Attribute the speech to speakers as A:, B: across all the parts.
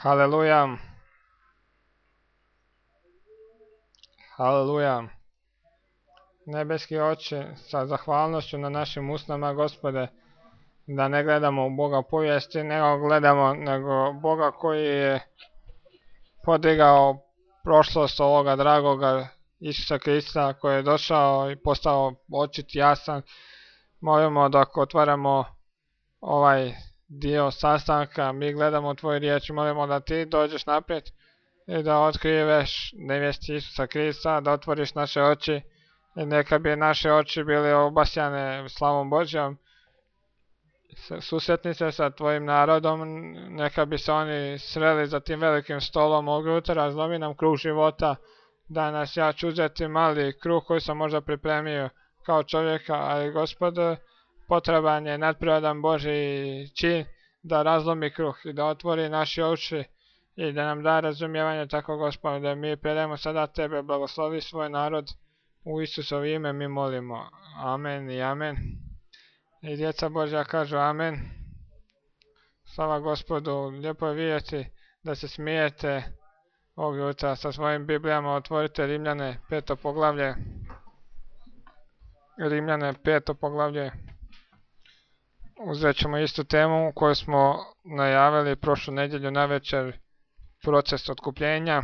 A: Haleluja, haleluja. Nebeski Oče, sa zahvalnošću na našim usnama, Gospode, da ne gledamo u Boga povijesti, nego Boga koji je podigao prošlost ovoga dragoga Isusa Krista, koji je došao i postao očit jasan. Molimo da ako otvaramo ovaj dio sastanka, mi gledamo tvoju riječ, molimo da ti dođeš naprijed i da otkriveš nevjesti Isusa Krista, da otvoriš naše oči i neka bi naše oči bili obasjane slavom Božjom. Susretni se sa tvojim narodom, neka bi se oni sreli za tim velikim stolom ovog jutra, zlomi nam kruh života, da nas ja ću uzeti mali kruh koji sam možda pripremio kao čovjeka, ali Gospode, potreban je nadprirodan Božji čin da razlomi kruh i da otvori naše oči i da nam da razumijevanje tako, Gospodine, da mi predajemo sada tebe, blagoslovi svoj narod, u Isusovo ime mi molimo. Amen i amen. I djeca Božja kažu amen. Slava Gospodu, lijepo je vidjeti da se smijete ovog jutra sa svojim Biblijama. Otvorite Rimljane 5. poglavlje. Rimljane 5. poglavlje. Uzet ćemo istu temu koju smo najavili prošlu nedjelju navečer, proces otkupljenja,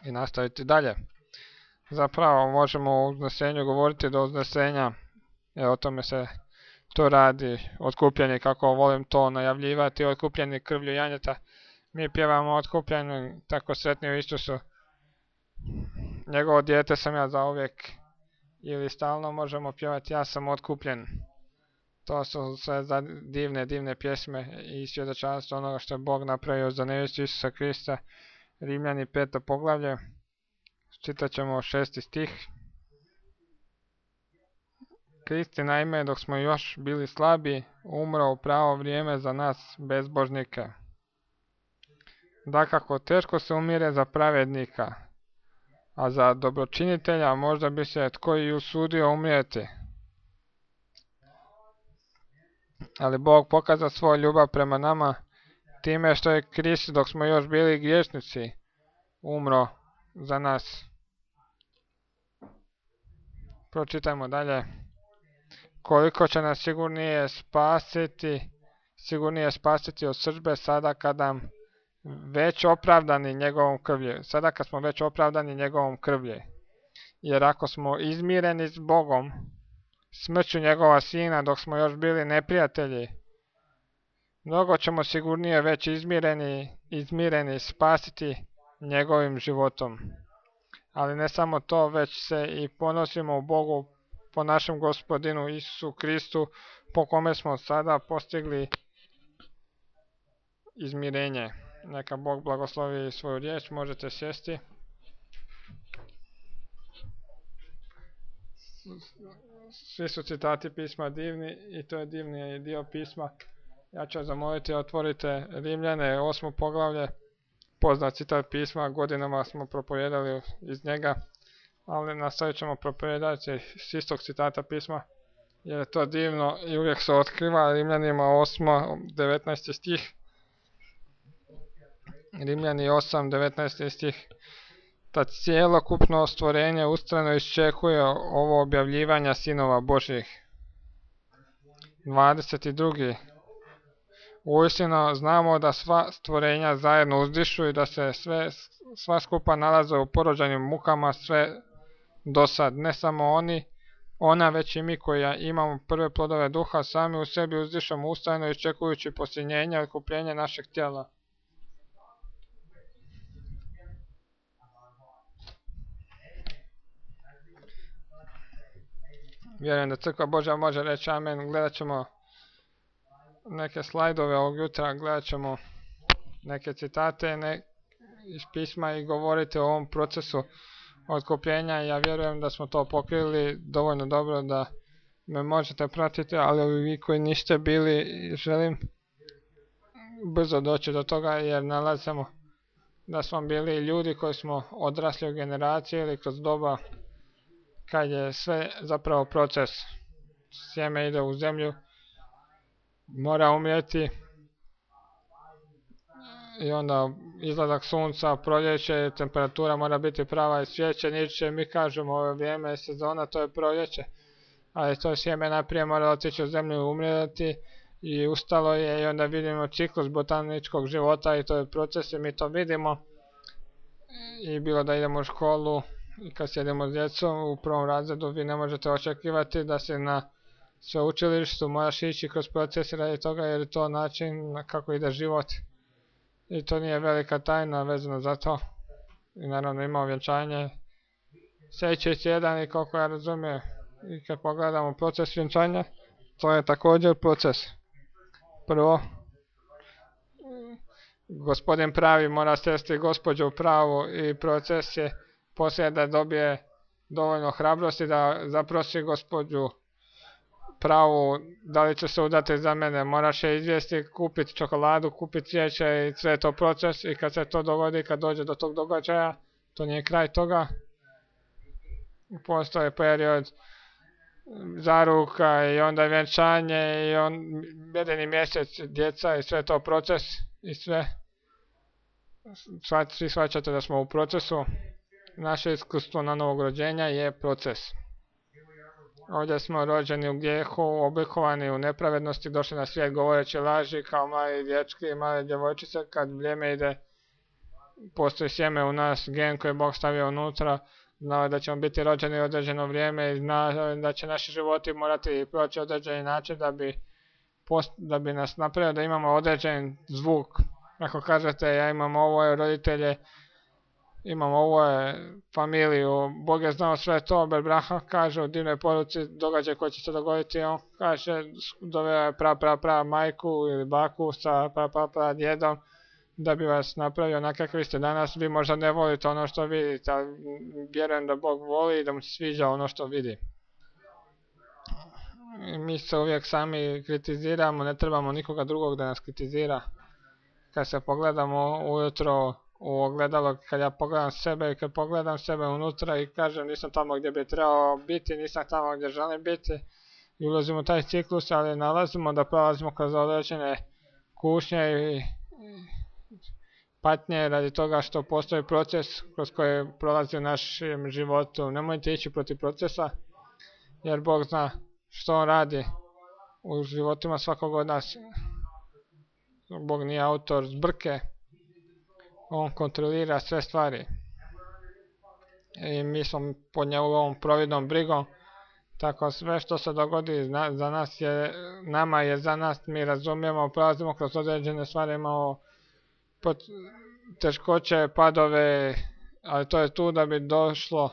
A: i nastaviti dalje. Zapravo možemo o uznesenju govoriti do uznesenja, jer o tome se to radi, otkupljeni, kako volim to najavljivati, otkupljeni krvlju janjeta. Mi pjevamo otkupljeni, tako sretni u Isusu. Njegovo dijete sam ja zauvijek, ili stalno možemo pjevati ja sam otkupljen. To su sve divne pjesme i svjedočanstvo onoga što je Bog napravio za nevjestu Isusa Krista. Rimljani 5. poglavlje, čitat ćemo 6. stih. Kristi naime, dok smo još bili slabi, umro u pravo vrijeme za nas bezbožnike. Dakako, teško se umire za pravednika, a za dobročinitelja možda bi se tko i usudio umrijeti. Ali Bog pokazao svoju ljubav prema nama time što je Krist, dok smo još bili griješnici, umro za nas. Pročitajmo dalje. Koliko će nas sigurnije spasiti od srdbe sada kada već opravdani njegovom krvlju. Sada kad smo već opravdani njegovom krvlju. Jer ako smo izmireni s Bogom, smrću njegova sina dok smo još bili neprijatelji, mnogo ćemo sigurnije već izmireni spasiti njegovim životom. Ali ne samo to, već se i ponosimo u Bogu po našem Gospodinu Isusu Kristu, po kome smo sada postigli izmirenje. Neka Bog blagoslovi svoju riječ, možete sjesti. Svi su citati pisma divni i to je divni dio pisma. Ja ću zamoliti, otvorite Rimljane 8. poglavlje, poznat citat pisma, godinama smo propovijedali iz njega, ali nastavit ćemo propovijedati s istog citata pisma, jer je to divno i uvijek se otkriva. Rimljanima 8. 19. stih. Rimljani 8. 19. stih. Ta cijelokupno stvorenje ustrajno iščekuje ovo objavljivanja sinova Božjih. 22. Uistinu znamo da sva stvorenja zajedno uzdišu i da se sva skupa nalaze u porođajnim mukama sve do sad. Ne samo ona već i mi koji imamo prve plodove duha, sami u sebi uzdišemo ustrajno iščekujući posljednjenje i otkupljenje našeg tijela. Vjerujem da Crkva Božja može reći amen. Gledat ćemo neke slajdove ovog jutra, gledat ćemo neke citate iz pisma i govoriti o ovom procesu otkupljenja. Ja vjerujem da smo to pokrili dovoljno dobro da me možete pratiti, ali vi koji niste bili, želim brzo doći do toga, jer nalazimo da smo bili ljudi koji smo odrasli u generaciji ili kroz doba kad je sve zapravo proces. Sjeme ide u zemlju, mora umrijeti, i onda izlazak sunca, proljeće, temperatura mora biti prava i cvijeće, niče, mi kažemo ovo vrijeme, sezona, to je proljeće, ali to sjeme najprije mora otići u zemlju i umrijeti i ustalo je i onda vidimo ciklus botaničkog života i to je proces i mi to vidimo i bilo da idemo u školu i kad sjedimo s djecom u prvom razredu vi ne možete očekivati da se na sveučilištu moraš ići kroz proces radi toga jer je to način kako ide život. I to nije velika tajna vezano za to. I naravno ima vjenčanje sljedeći tjedan i koliko ja razumijem. I kad pogledamo proces vjenčanja, to je također proces. Prvo, gospodin pravi mora sresti gospođu pravu i proces je poslije da dobije dovoljno hrabrosti da zaprosi gospođu pravu da li će se udati za mene, moraš je izvijesti, kupiti čokoladu, kupiti cvijeće i sve je to proces i kad se to dogodi, kad dođe do tog događaja, to nije kraj toga. Postoje period zaruka i onda vjenčanje i jedini mjesec djeca i sve je to proces i sve. Svi shvaćate da smo u procesu. Naše iskustvo na novog rođenja je proces. Ovdje smo rođeni u grijehu, oblikovani u nepravednosti, došli na svijet govoreći laži kao mali dječki i male djevojčice. Kad vrijeme ide, postoji sjeme u nas, gen koji je Bog stavio unutra, znao je da ćemo biti rođeni u određeno vrijeme i znao da će naši životi morati proći određeni način da bi nas napravio da imamo određen zvuk. Ako kažete ja imam ovo roditelje, imam ovo familiju, Bog je znao sve to, Berbraha kaže u divnoj poruci događaj koji će se dogoditi, on kaže doveo je pra majku ili baku sa pra djedom da bi vas napravio onakav kakvi ste danas, vi možda ne volite ono što vidite, ali vjerujem da Bog voli i da mu se sviđa ono što vidi. Mi se uvijek sami kritiziramo, ne trebamo nikoga drugog da nas kritizira. Kad se pogledamo ujutro u ogledalo, kad ja pogledam sebe i kad pogledam sebe unutra i kažem nisam tamo gdje bi trebao biti, nisam tamo gdje želim biti i ulazimo u taj ciklus, ali nalazimo da prolazimo kroz određene kušnje i patnje radi toga što postoji proces kroz koji prolazi u našem životu. Nemojte ići protiv procesa jer Bog zna što on radi u životima svakog od nas. Bog nije autor zbrke, on kontrolira sve stvari i mi smo pod njegovom providnom brigom, tako sve što se dogodi za nas je, nama je za nas, mi razumijemo, prolazimo kroz određene stvari, imamo teškoće, padove, ali to je tu da bi došlo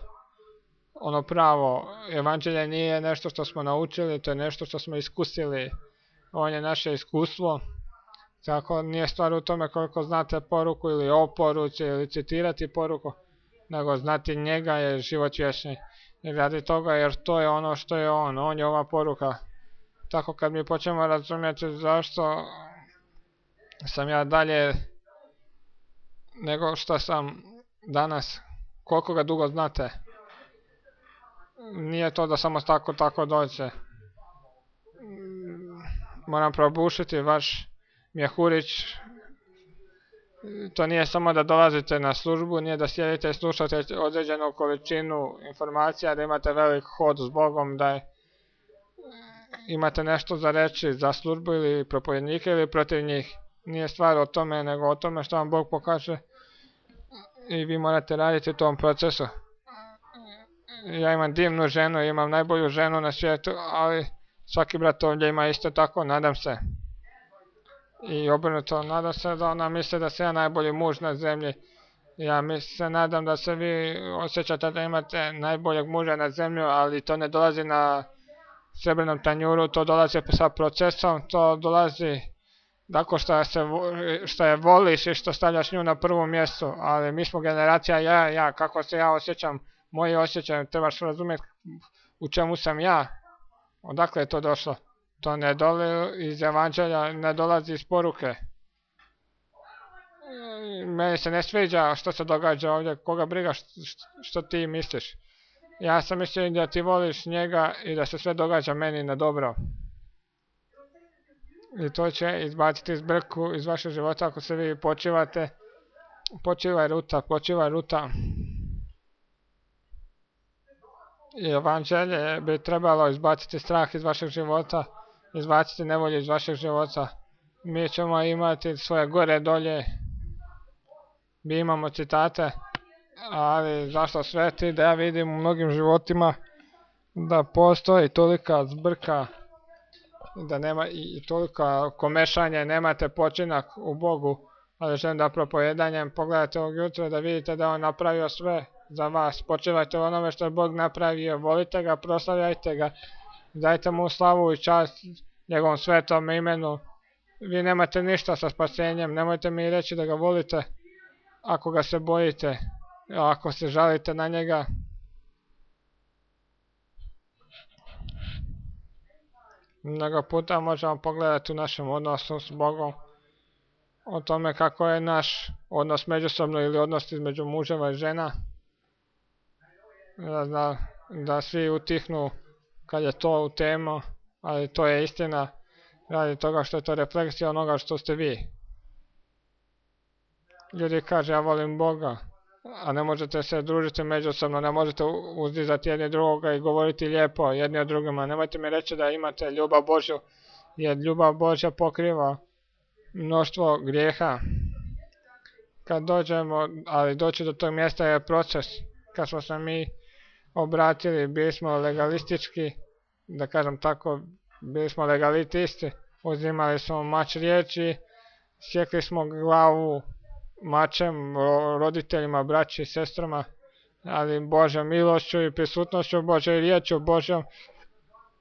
A: ono pravo. Evanđelje nije nešto što smo naučili, to je nešto što smo iskusili, on je naše iskustvo. Tako nije stvar u tome koliko znate poruku ili o poruci ili citirati poruku, nego znati njega je život vječni. I radi toga jer to je ono što je on je ova poruka. Tako kad mi počnemo razumjeti zašto sam ja dalje nego što sam danas, koliko ga dugo znate, nije to da samo tako dođe. Moram probušiti vaš mjehurić, to nije samo da dolazite na službu, nije da sjedite i slušate određenu količinu informacija, da imate velik hod s Bogom, da imate nešto za reći za službu ili propovjednike ili protiv njih. Nije stvar o tome, nego o tome što vam Bog pokaže i vi morate raditi u tom procesu. Ja imam divnu ženu, imam najbolju ženu na svijetu, ali svaki brat ovdje ima isto tako, nadam se. I obrnuto, nadam se da ona misli da sam ja najbolji muž na zemlji. Ja se nadam da se vi osjećate da imate najboljeg muža na zemlju, ali to ne dolazi na srebrnom tanjuru, to dolazi sa procesom, to dolazi tako što je voliš i što stavljaš nju na prvo mjesto, ali mi smo generacija ja, kako se ja osjećam, moji osjećaj, trebaš razumjeti u čemu sam ja, odakle je to došlo. To ne dolazi iz evanđelja, ne dolazi iz poruke. Meni se ne sviđa što se događa ovdje, koga briga što ti misliš. Ja sam mislio da ti voliš njega i da se sve događa meni na dobro. I to će izbaciti zbrku iz vašeg života ako se vi počivate. Počivaj ruta. I evanđelje bi trebalo izbaciti strah iz vašeg života, izbaciti nevolju iz vašeg života. Mi ćemo imati svoje gore dolje, mi imamo citate, ali zašto sveti da ja vidim u mnogim životima da postoji tolika zbrka, da nema i toliko komešanja, nemate počinak u Bogu, ali želim da propojedanjem pogledate ovog jutra da vidite da on napravio sve za vas. Počivajte u onome što je Bog napravio, volite ga, proslavljajte ga, dajte mu slavu i čast njegovom svetom imenu. Vi nemate ništa sa spasenjem, nemojte mi reći da ga volite ako ga se bojite, ako se žalite na njega. Mnogo puta možemo pogledati u našem odnosu s Bogom o tome kako je naš odnos međusobno ili odnos između muževa i žena. Da svi utihnu kad je to u temu, ali to je istina radi toga što je to refleksija onoga što ste vi. Ljudi kaže ja volim Boga, a ne možete se družiti međusobno, ne možete uzdizati jedni drugoga i govoriti lijepo jedni o drugima. Nemojte mi reći da imate ljubav Božju, jer ljubav Božja pokriva mnoštvo grijeha. Kad dođemo, ali doći do tog mjesta je proces. Kad smo se mi obratili, bili smo legalistički, da kažem tako, bili smo legalitisti, uzimali smo mač riječi, sjekli smo glavu mačem roditeljima, braći i sestrama, ali Božjom milošću i prisutnošću Božje i riječju Božjom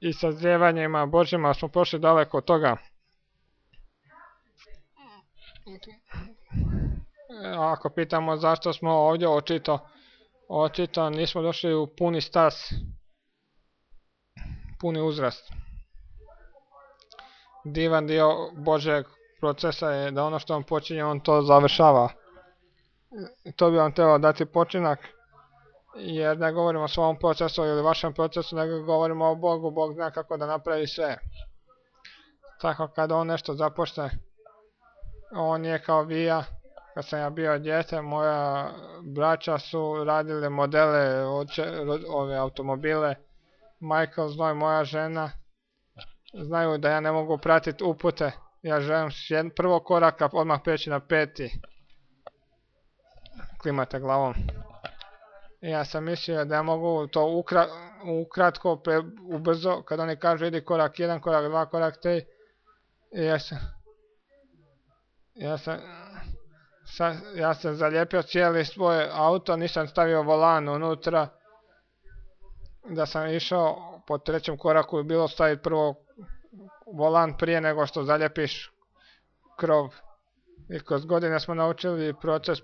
A: i sazrijevanjima Božjima smo prošli daleko od toga. Ako pitamo zašto smo ovdje, očito nismo došli u puni stas, puni uzrast. Divan dio Božjeg procesa je da ono što on počinje, on to završava. To bi vam trebalo dati počinak, jer ne govorimo o svom procesu ili vašem procesu, nego govorimo o Bogu. Bog zna kako da napravi sve. Tako kada on nešto započne, on je kao vija. Kad sam ja bio dijete, moja braća su radili modele, ove automobile. Michael zna i moja žena znaju da ja ne mogu pratiti upute. Ja želim s prvog koraka odmah preći na 5. Klimate glavom. Ja sam mislio da ja mogu to ukratko, ubrzo, kad oni kažu idi korak 1, korak 2, korak 3. Ja sam zalijepio cijeli svoj auto, nisam stavio volan unutra. Da sam išao po 3. koraku i bilo staviti prvo volan prije nego što zaljepiš krov. I kroz godine smo naučili proces.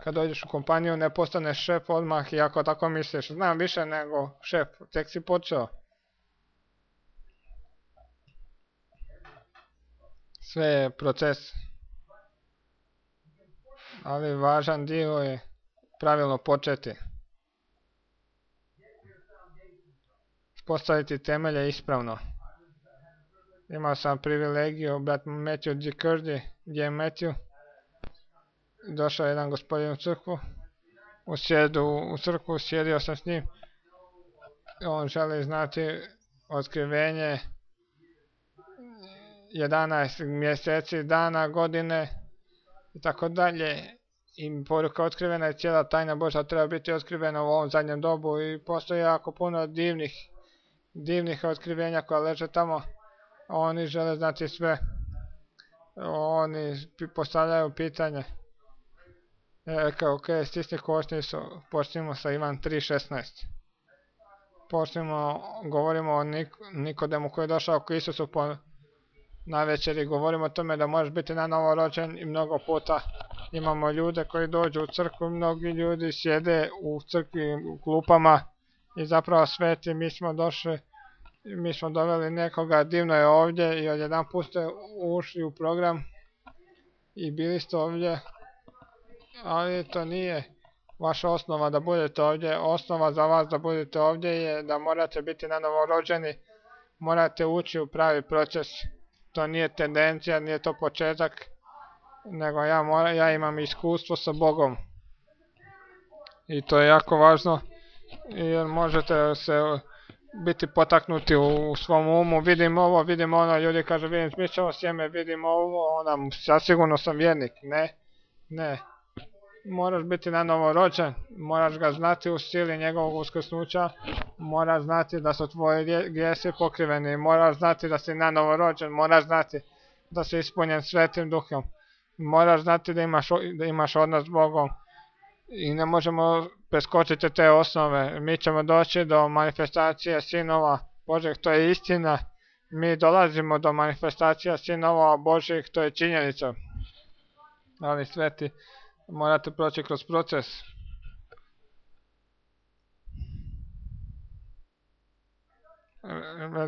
A: Kad dođeš u kompaniju ne postaneš šef odmah i ako tako misliš, znam više nego šef, tek si počeo. Sve je proces. Ali važan dio je pravilno početi. Postaviti temelje ispravno. Imao sam privilegiju, brat Matthew G. Curdy, gdje je Matthew. Došao jedan gospodin u crkvu. U crkvu sjedio sam s njim. On želi znati otkrivenje 11 mjeseci, dana, godine i tako dalje. I poruka otkrivena je, cijela tajna Božja treba biti otkrivena u ovom zadnjem dobu i postoji jako puno divnih otkrivenja koja leže tamo. Oni žele znati sve. Oni postavljaju pitanje. Rekao, ok, stisni košnicu, počnimo sa Ivan 3.16. Govorimo o Nikodemu koji je došao k Isusu na večeri, govorimo o tome da možeš biti na novo rođen i mnogo puta imamo ljude koji dođu u crkvu, mnogi ljudi sjede u crkvi u klupama i zapravo sveti, mi smo doveli nekoga, divno je ovdje i odjedanput ste ušli u program i bili ste ovdje, ali to nije vaša osnova da budete ovdje, osnova za vas da budete ovdje je da morate biti nanovo rođeni, morate ući u pravi proces. To nije tendencija, nije to početak, nego ja imam iskustvo sa Bogom. I to je jako važno, jer možete se biti potaknuti u svom umu, vidim ovo, vidim ono, ljudi kažu vidim smišćavo sjeme, vidim ovo, onda zasigurno sam vjernik. Ne. Moraš biti nanovo rođen, moraš ga znati u sili njegovog uskrsnuća, moraš znati da su tvoji grijesi pokriveni, moraš znati da si nanovo rođen, moraš znati da si ispunjen Svetim Duhom, moraš znati da imaš odnos s Bogom i ne možemo preskočiti te osnove. Mi ćemo doći do manifestacije sinova Božih, to je istina, mi dolazimo do manifestacija sinova Božih, to je činjenica, ali sveti, morate proći kroz proces.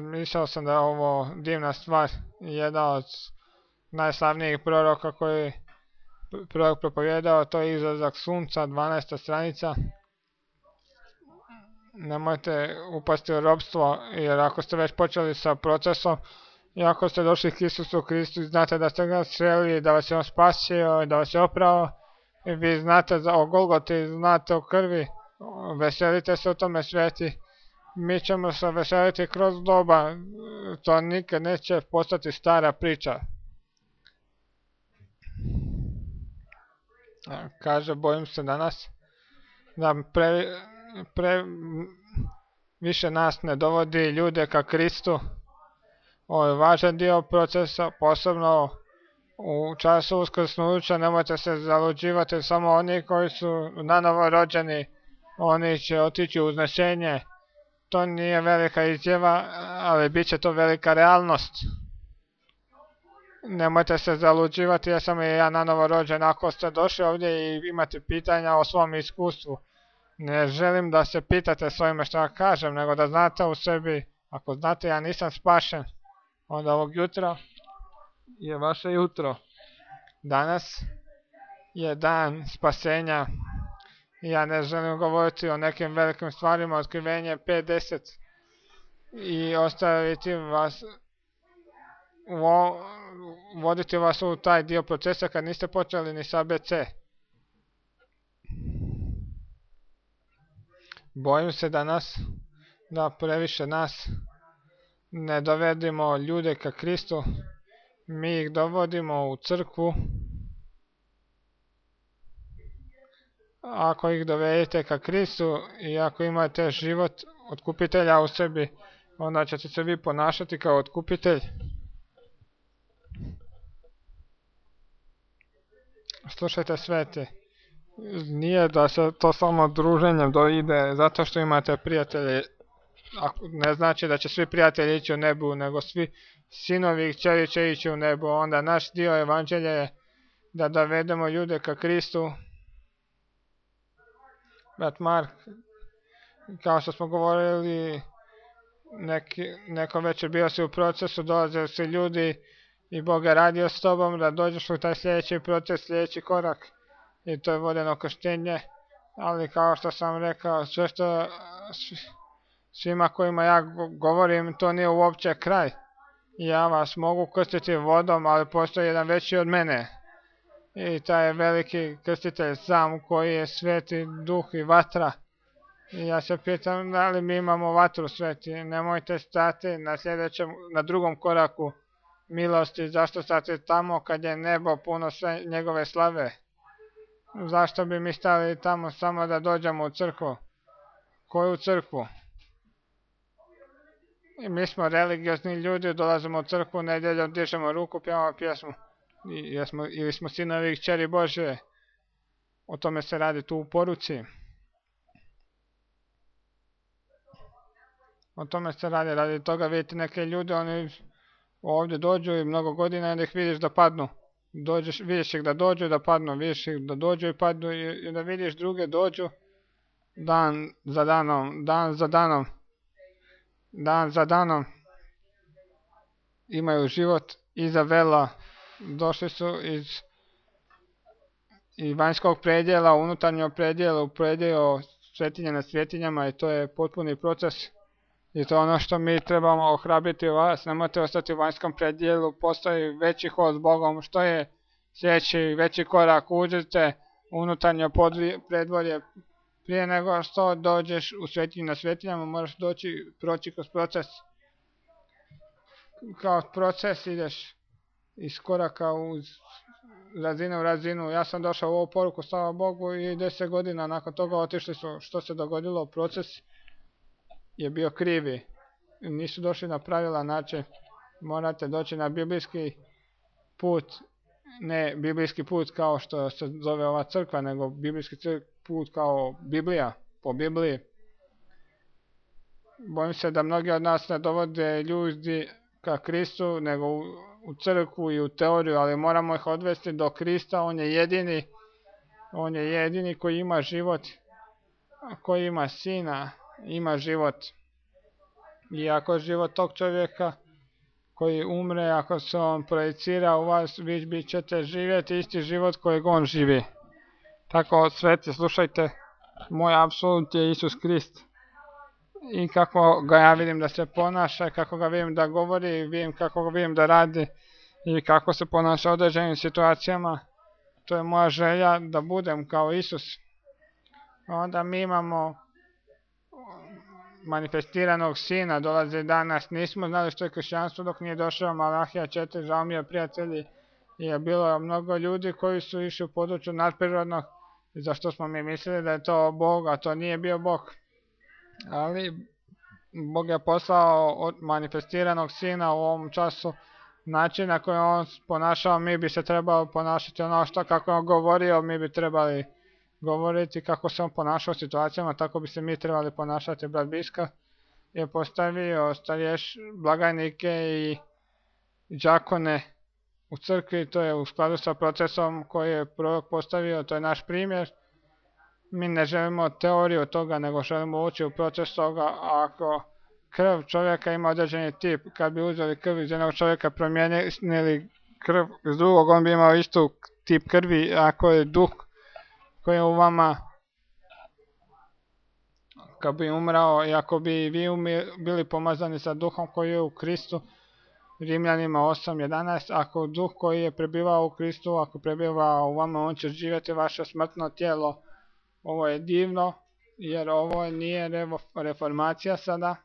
A: Mislio sam da je ovo divna stvar. Jedan od najslavnijih proroka koji prorok propovijedao, to je Izlazak sunca, 12. stranica. Nemojte upasti u robstvo, jer ako ste već počeli sa procesom i ako ste došli k Isusu Kristu i znate da ste ga sreli, da vas je on spasio, da vas je oprao, i vi znate o Golgoti, znate o krvi, veselite se u tome, sveti. Mi ćemo se veseliti kroz doba, to nikad neće postati stara priča. Kaže, bojim se danas da više nas ne dovodi ljude ka Kristu. Ovo je važan dio procesa, posebno u času uskrsnuća. Nemojte se zaluđivati, samo oni koji su nanovo rođeni, oni će otići u uznešenje. To nije velika izjava, ali bit će to velika realnost. Nemojte se zaluđivati, ja sam i ja nanovo rođen. Ako ste došli ovdje i imate pitanja o svom iskustvu, ne želim da se pitate s ovime što ja kažem, nego da znate u sebi, ako znate ja nisam spašen, onda ovog jutra je vaše jutro. Danas je dan spasenja. Ja ne želim govoriti o nekim velikim stvarima, otkrivenje 5-10 i ostaviti vas, voditi vas u taj dio procesa kad niste počeli ni sa ABC. Bojim se danas da previše nas ne dovedimo ljude ka Kristu, mi ih dovodimo u crkvu. Ako ih dovedete ka Kristu i ako imate život otkupitelja u sebi, onda ćete se vi ponašati kao otkupitelj. Slušajte, sveti, nije da se to samo druženjem ide zato što imate prijatelje. Ne znači da će svi prijatelji ići u nebu, nego svi sinovi i kćeri će ići u nebu. Onda naš dio evanđelja je da dovedemo ljude ka Kristu. Brat Mark, kao što smo govorili, neko večer bio si u procesu, dolazili si ljudi i Bog je radio s tobom da dođeš u taj sljedeći proces, sljedeći korak, i to je vodeno krštenje. Ali kao što sam rekao, sve što svima kojima ja govorim, to nije uopće kraj. Ja vas mogu krstiti vodom, ali postoji jedan veći od mene. I taj je veliki krstitelj sam, koji je Sveti Duh i vatra. I ja se pitam da li mi imamo vatru, sveti. Nemojte stati na drugom koraku milosti. Zašto stati tamo kad je nebo puno sve njegove slave? Zašto bi mi stali tamo samo da dođemo u crkvu? Koju crkvu? I mi smo religiozni ljudi, dolazimo u crkvu, nedjeljom dižemo ruku, pjevamo pjesmu. Ili smo sinovi i kćeri Božje. O tome se radi tu u poruci. O tome se radi toga vidite neke ljude, oni ovdje dođu i mnogo godina i da ih vidiš da padnu. Vidiš ih da dođu i da padnu, vidiš ih da dođu i padnu, i da vidiš druge dođu dan za danom, dan za danom. Imaju život iza vela, došli su iz i vanjskog predjela, unutarnjeg predjela, u predjel svetinja na svetinjama i to je potpuni proces. I to je ono što mi trebamo ohrabriti vas, nemojte ostati u vanjskom predjelu, postoji veći hod s Bogom, što je sljedeći veći korak, uđite unutarnje predvorje, prije nego što dođeš u svetinju na svetinjama, moraš proći kroz proces. Kao proces ideš iz koraka u razinu. Ja sam došao u ovu poruku, slava Bogu, i 10 godina nakon toga otišli su. Što se dogodilo? Proces je bio krivi. Nisu došli na pravilan način. Morate doći na biblijski put. Ne biblijski put kao što se zove ova crkva, nego biblijski put kao Biblija, po Bibliji. Bojim se da mnogi od nas ne dovode ljudi ka Kristu, nego u crkvu i u teoriju, ali moramo ih odvesti do Krista. On je jedini koji ima život, koji ima sina, ima život. I ako život tog čovjeka koji umre, ako se on projicira u vas, vi ćete živjeti isti život kojeg on živi. Tako, sveti, slušajte, moj apsolut je Isus Krist. I kako ga ja vidim da se ponaša, kako ga vidim da govori, kako ga vidim da radi i kako se ponaša u određenim situacijama, to je moja želja da budem kao Isus. Onda mi imamo manifestiranog sina, dolazi danas, nismo znali što je kršćanstvo dok nije došao Malahija 4, žao mi je prijatelji, je bilo mnogo ljudi koji su išli u području nadprirodnog, zašto smo mi mislili da je to Bog, a to nije bio Bog. Ali Bog je poslao manifestiranog sina u ovom času, način na koji on ponašao, mi bi se trebali ponašati ono što kako je on govorio, mi bi trebali govoriti kako se on ponašao u situacijama, tako bi se mi trebali ponašati. Brat Biska je postavio blagajnike i đakone u crkvi, to je u skladu sa procesom koji je prorok postavio, to je naš primjer. Mi ne želimo teoriju toga, nego želimo ući u proces toga. Ako krv čovjeka ima određeni tip, kad bi uzeli krv iz jednog čovjeka, promijenili krv iz drugog, on bi imao istu tip krvi. Ako je duh koji je u vama, kad bi umrao, i ako bi vi bili pomazani sa duhom koji je u Kristu, Rimljanima 8.11, ako duh koji je prebivao u Kristu, ako prebiva u vama, on će živjeti vaše smrtno tijelo. Ovo je divno, jer ovo nije reformacija sada.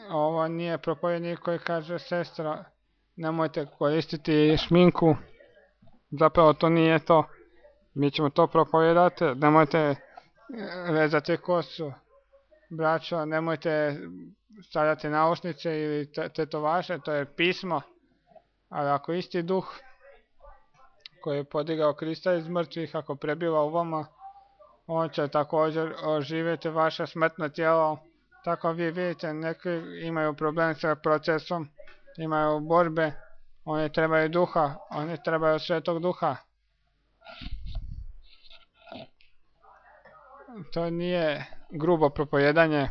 A: Ovo nije propovjednik koji kaže, sestra, nemojte koristiti šminku. Zapravo to nije to. Mi ćemo to propovijedati. Nemojte rezati kosu. Braćo, nemojte stavljati naušnice ili tetovaže, to je pismo. Ali ako isti duh koji je podigao Krista iz mrtvih, ako prebiva u vama, on će također oživjeti vaše smrtno tijelo. Tako vi vidite, neki imaju problem sa procesom, imaju borbe, oni trebaju duha, oni trebaju svetog duha. To nije grubo propojedanje.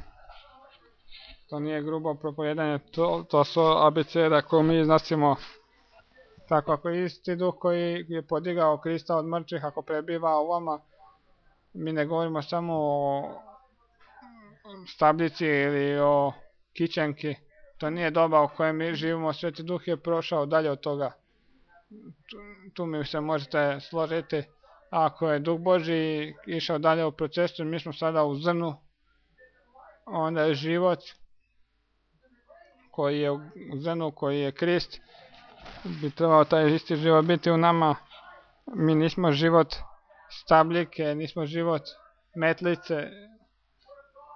A: To su abeceda koje mi iznosimo. Tako, ako isti duh koji je podigao Krista od mrtvih, ako prebiva u vama, mi ne govorimo samo o stabljici ili o kićenki. To nije doba u kojoj mi živimo, Sveti Duh je prošao dalje od toga. Tu mi se možete složiti. Ako je Duh Božji išao dalje u procesu, mi smo sada u zrnu, onda je život koji je u zrnu, koji je Krist, bi trebao taj isti život biti u nama. Mi nismo život stabljike, nismo život metlice,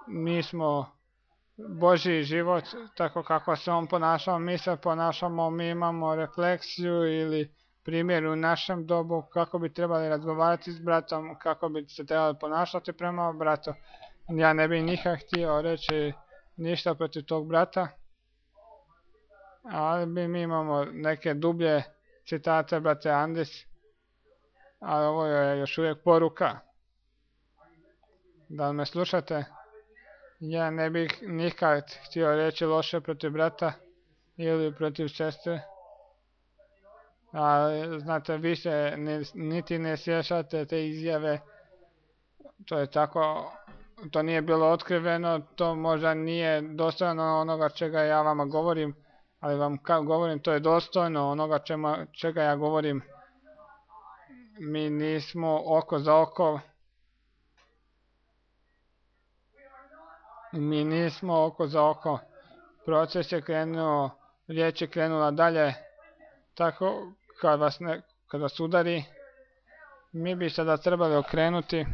A: mi smo Božji život, tako kako se on ponašao, mi se ponašamo, mi imamo refleksiju ili primjer u našem dobu kako bi trebali razgovarati s bratom, kako bi se trebali ponašati prema bratu. Ja ne bih nikad htio reći ništa protiv tog brata, ali mi imamo neke dublje citate brate Andis, ali ovo je još uvijek poruka. Da li me slušate? Ja ne bih nikad htio reći loše protiv brata ili protiv sestre. A znate, više niti ne sjećate te izjave, to je tako, to nije bilo otkriveno, to možda nije dostojno onoga čega ja vama govorim, ali vam govorim, to je dostojno onoga čega ja govorim. Mi nismo oko za oko, mi nismo oko za oko. Proces je krenuo, riječ je krenula dalje, tako kad vas udari, mi bi sada trebali okrenuti.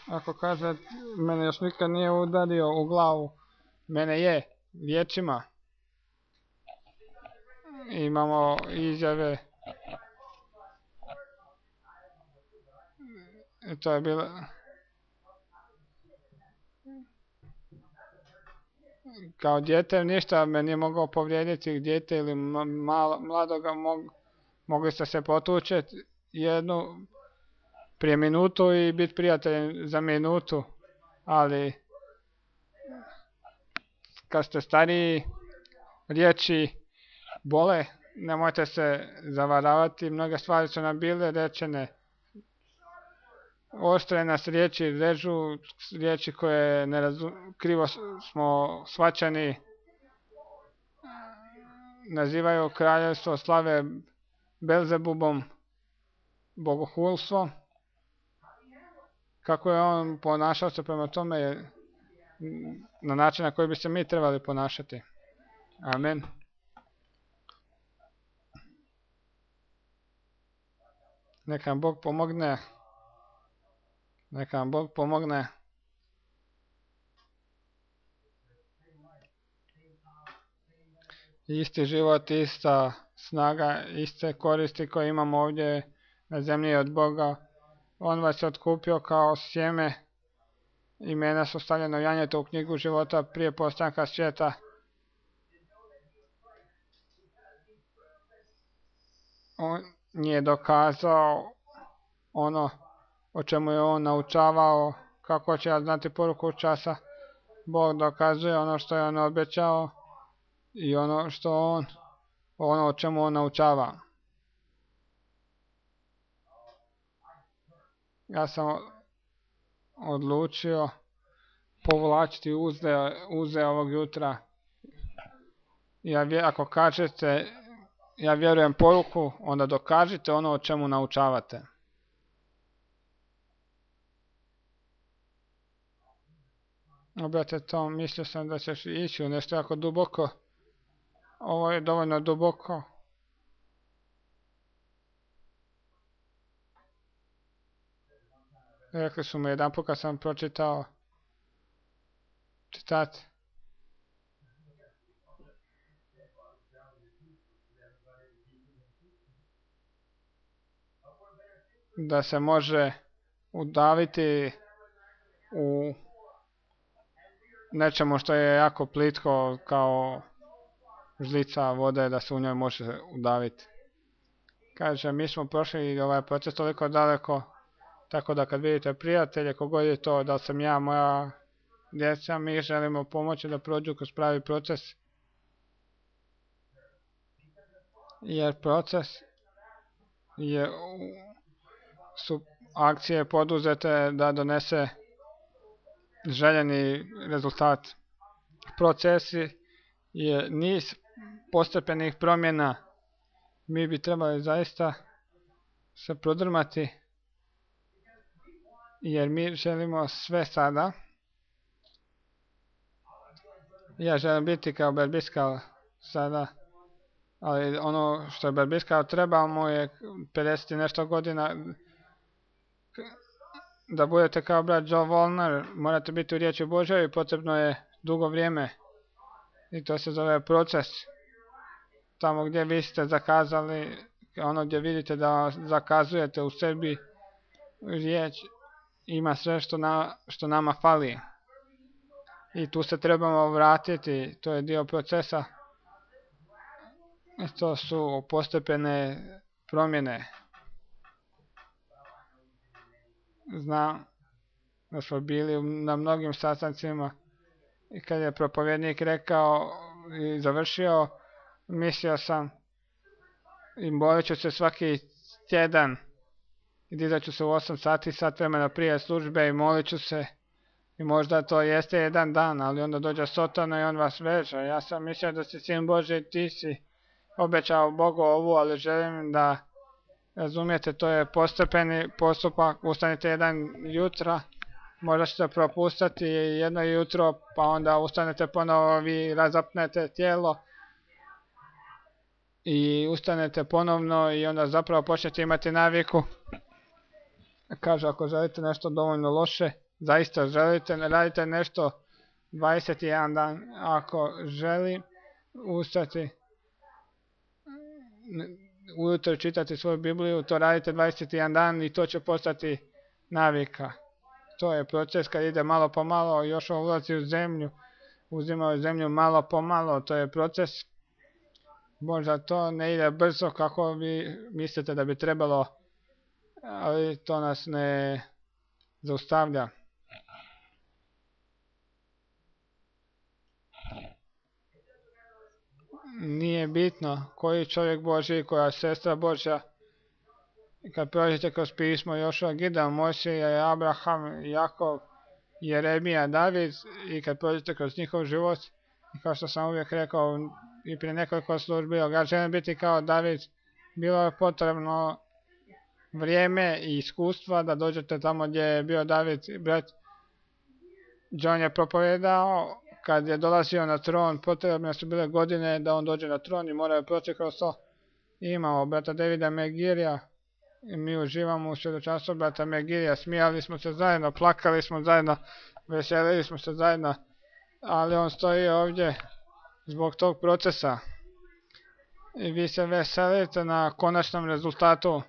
A: Ako kaže, mene još nikad nije udario u glavu, mene je, riječima. Imamo izjave, to je bilo, kao dijete ništa me nije mogao povrijediti, dijete ili mladoga mogli ste se potučeti prije minutu i biti prijatelji za minutu, ali kad ste stariji, riječi bole, nemojte se zavaravati, mnoge stvari su nam bile rečene, oštre nas riječi režu, riječi koje krivo smo shvaćani, nazivaju kraljevstvo slave Belzebubom, bogohulstvo. Kako je on ponašao se prema tome na način na koji bi se mi trebali ponašati. Amen. Neka vam Bog pomogne. Neka vam Bog pomogne. Isti život, ista snaga, iste koristi koje imamo ovdje na zemlji od Boga. On vas je otkupio kao sjeme. Imena su stavljena u janjetu u knjigu života prije postanka svijeta. On je dokazao ono o čemu je on naučavao, kako će ja znati poruku časa. Bog dokazuje ono što je on obećao i ono o čemu on naučava. Ja sam odlučio povlačiti uze ovog jutra. Ako kažete, ja vjerujem poruku, onda dokažite ono o čemu naučavate. Obrate to, mislio sam da ćeš ići u nešto jako duboko. Ovo je dovoljno duboko. Rekli su mi jedan put kad sam pročitao citat. Da se može udaviti u nečemu što je jako plitko kao žlica vode, da se u njoj može udaviti. Kaže, mi smo prošli ovaj proces toliko daleko, tako da kad vidite prijatelje, kogod je to, da sam ja, moja djeca, mi želimo pomoći da prođu kroz pravi proces. Jer proces su akcije poduzete da donese željeni rezultat. Procesi je niz postepenih promjena. Mi bi trebali zaista se prodrmati, jer mi želimo sve sada. Ja želim biti kao Berbiskal sada, ali ono što je Berbiskal treba mu je 50 i nešto godina. Da budete kao brat Joe Volner, morate biti u riječi Božoj i potrebno je dugo vrijeme. I to se zove proces. Tamo gdje vi ste zakazali, ono gdje vidite da zakazujete u sebi riječ, ima sve što nama fali. I tu se trebamo vratiti, to je dio procesa. I to su postepene promjene. Znam da smo bili na mnogim sastancima i kad je propovjednik rekao i završio, mislio sam i molit ću se svaki tjedan i dizat ću se u 8 sati, sat vremena prije službe i molit ću se. I možda to jeste jedan dan, ali onda dođe Sotona i on vas veže. Ja sam mislio da si sin Bože i ti si obećao Bogu ovu, ali želim da razumijete, to je postepeni postupak. Ustanite jedan jutra, možda ćete propustiti jedno jutro, pa onda ustanete ponovo, vi razapnete tijelo i ustanete ponovno i onda zapravo počnete imati naviku. Kaže, ako želite nešto dovoljno loše, zaista želite, ne radite nešto 21 dan. Ako želi ustati ujutro čitati svoju Bibliju, to radite 21 dan i to će postati navika. To je proces kad ide malo po malo, još ulazi u zemlju, uzima zemlju malo po malo, to je proces. Možda to ne ide brzo kako vi mislite da bi trebalo, ali to nas ne zaustavlja. Nije bitno koji čovjek Božji, koja sestra Božja. Kad prođete kroz pismo Jošua, Gideon, Mojsija, Abraham, Jakov, Jeremija, David i kad prođete kroz njihov život, i kao što sam uvijek rekao i prije nekoliko službi, ja želim biti kao David, bilo je potrebno vrijeme i iskustva da dođete tamo gdje je bio David. Brat John je propovedao, kad je dolazio na tron, potrebne su bile godine da on dođe na tron i moraju proći kroz to. Imamo brata Davida Megirija i mi uživamo u svjedočanstvu brata Megirija, smijali smo se zajedno, plakali smo zajedno, veselili smo se zajedno, ali on stoji ovdje zbog tog procesa. I vi se veselite na konačnom rezultatu.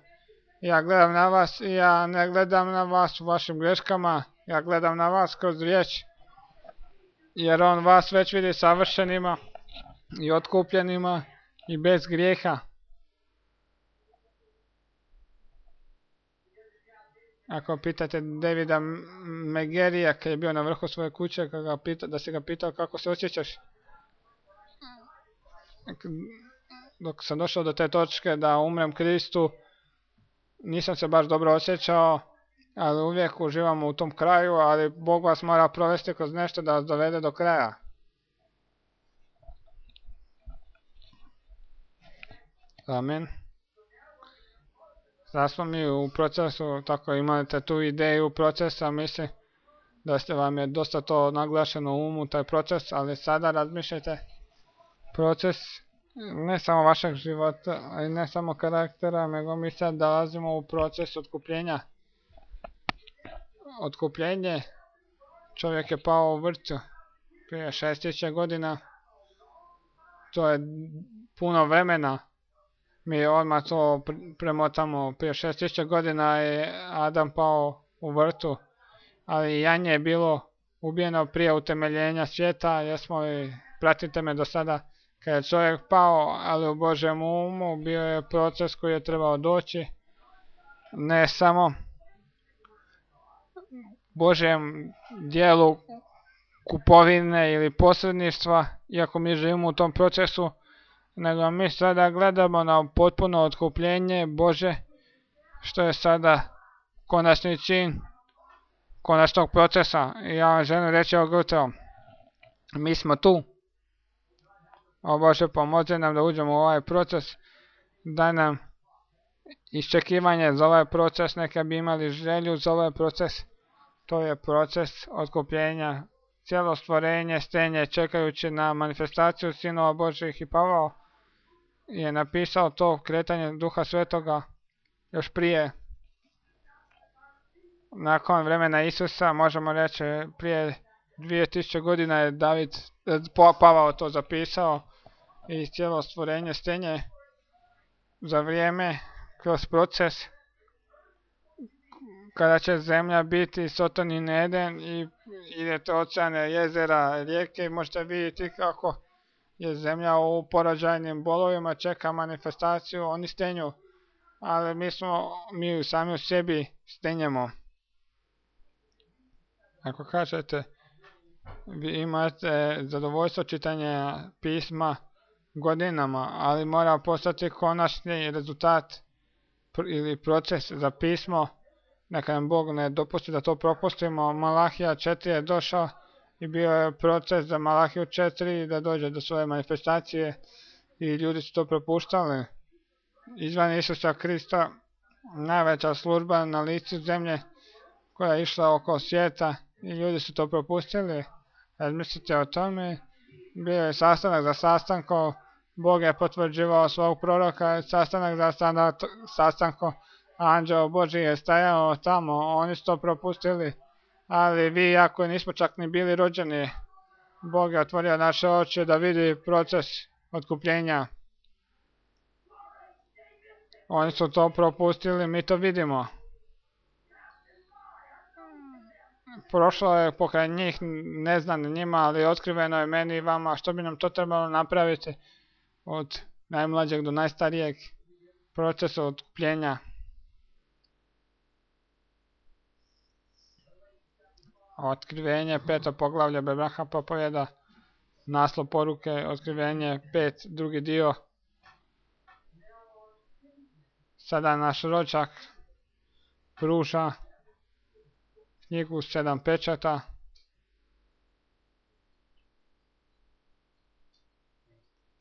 A: Ja gledam na vas i ja ne gledam na vas u vašim greškama, ja gledam na vas kroz riječ, jer on vas već vidi savršenima i otkupljenima i bez grijeha. Ako pitate Davida Megerija kad je bio na vrhu svoje kuće, da si ga pitao kako se osjećaš, dok sam došao do te točke da umrem Kristu, nisam se baš dobro osjećao, ali uvijek uživamo u tom kraju, ali Bog vas mora provesti kroz nešto da vas dovede do kraja. Amen. Sad smo mi u procesu, tako imate tu ideju procesa, mislim da vam je dosta to naglašeno u umu, taj proces, ali sada razmišljajte proces ne samo vašeg života, a i ne samo karaktera, nego mi sad dolazimo u proces otkupljenja. Otkupljenje, čovjek je pao u vrtu prije 6000 godina, to je puno vremena. Mi odmah to premotamo, prije 6000 godina je Adam pao u vrtu, ali janje je bilo ubijeno prije utemeljenja svijeta, pratite me do sada, kad je čovjek pao, ali u Božjem umu bio je proces koji je trebao doći, ne samo Božjem dijelu kupovine ili posredništva, iako mi živimo u tom procesu, nego mi sada gledamo na potpuno otkupljenje Bože, što je sada konačni čin konačnog procesa. I ja vam želim reći ovog jutra, mi smo tu. O Bože, pomozi nam da uđemo u ovaj proces, daj nam iščekivanje za ovaj proces, neka bi imali želju za ovaj proces. To je proces otkupljenja. Cijelo stvorenje stenje čekajući na manifestaciju sinova Božjih i Pavao je napisao to kretanje Duha Svetoga još prije. Nakon vremena Isusa, možemo reći prije 2000 godina je Pavao to zapisao i cijelo stvorenje stenje za vrijeme kroz proces kada će zemlja biti Sotonin Eden i idete oceane, jezera, rijeke i možete vidjeti kako je zemlja u porođajnim bolovima, čeka manifestaciju, oni stenju, ali mi sami u sebi stenjemo. Ako kažete, vi imate zadovoljstvo čitanja pisma, godinama, ali mora postati konačni rezultat ili proces za pismo. Neka nam Bog ne dopusti da to propustimo. Malahija 4 je došao i bio je proces za Malahiju 4 da dođe do svoje manifestacije i ljudi su to propuštali. Izvan Isusa Krista najveća služba na licu zemlje koja je išla oko svijeta i ljudi su to propustili. Razmislite o tome. Bio je sastanak za sastankom, Bog je potvrđivao svog proroka, sastanak za sastankom, anđeo Božji je stajao tamo, oni su to propustili, ali vi i ako nismo čak ni bili rođeni, Bog je otvorio naše oči da vidi proces otkupljenja. Oni su to propustili, mi to vidimo. Prošlo je pokraj njih, ne znam njima, ali otkriveno je meni i vama što bi nam to trebalo napraviti od najmlađeg do najstarijeg procesa otkupljenja. Otkrivenje 5. poglavlje Bebraha propovjeda, naslov poruke, otkrivenje 5, drugi dio. Sada naš rođak pruža knjigu 7 pečata.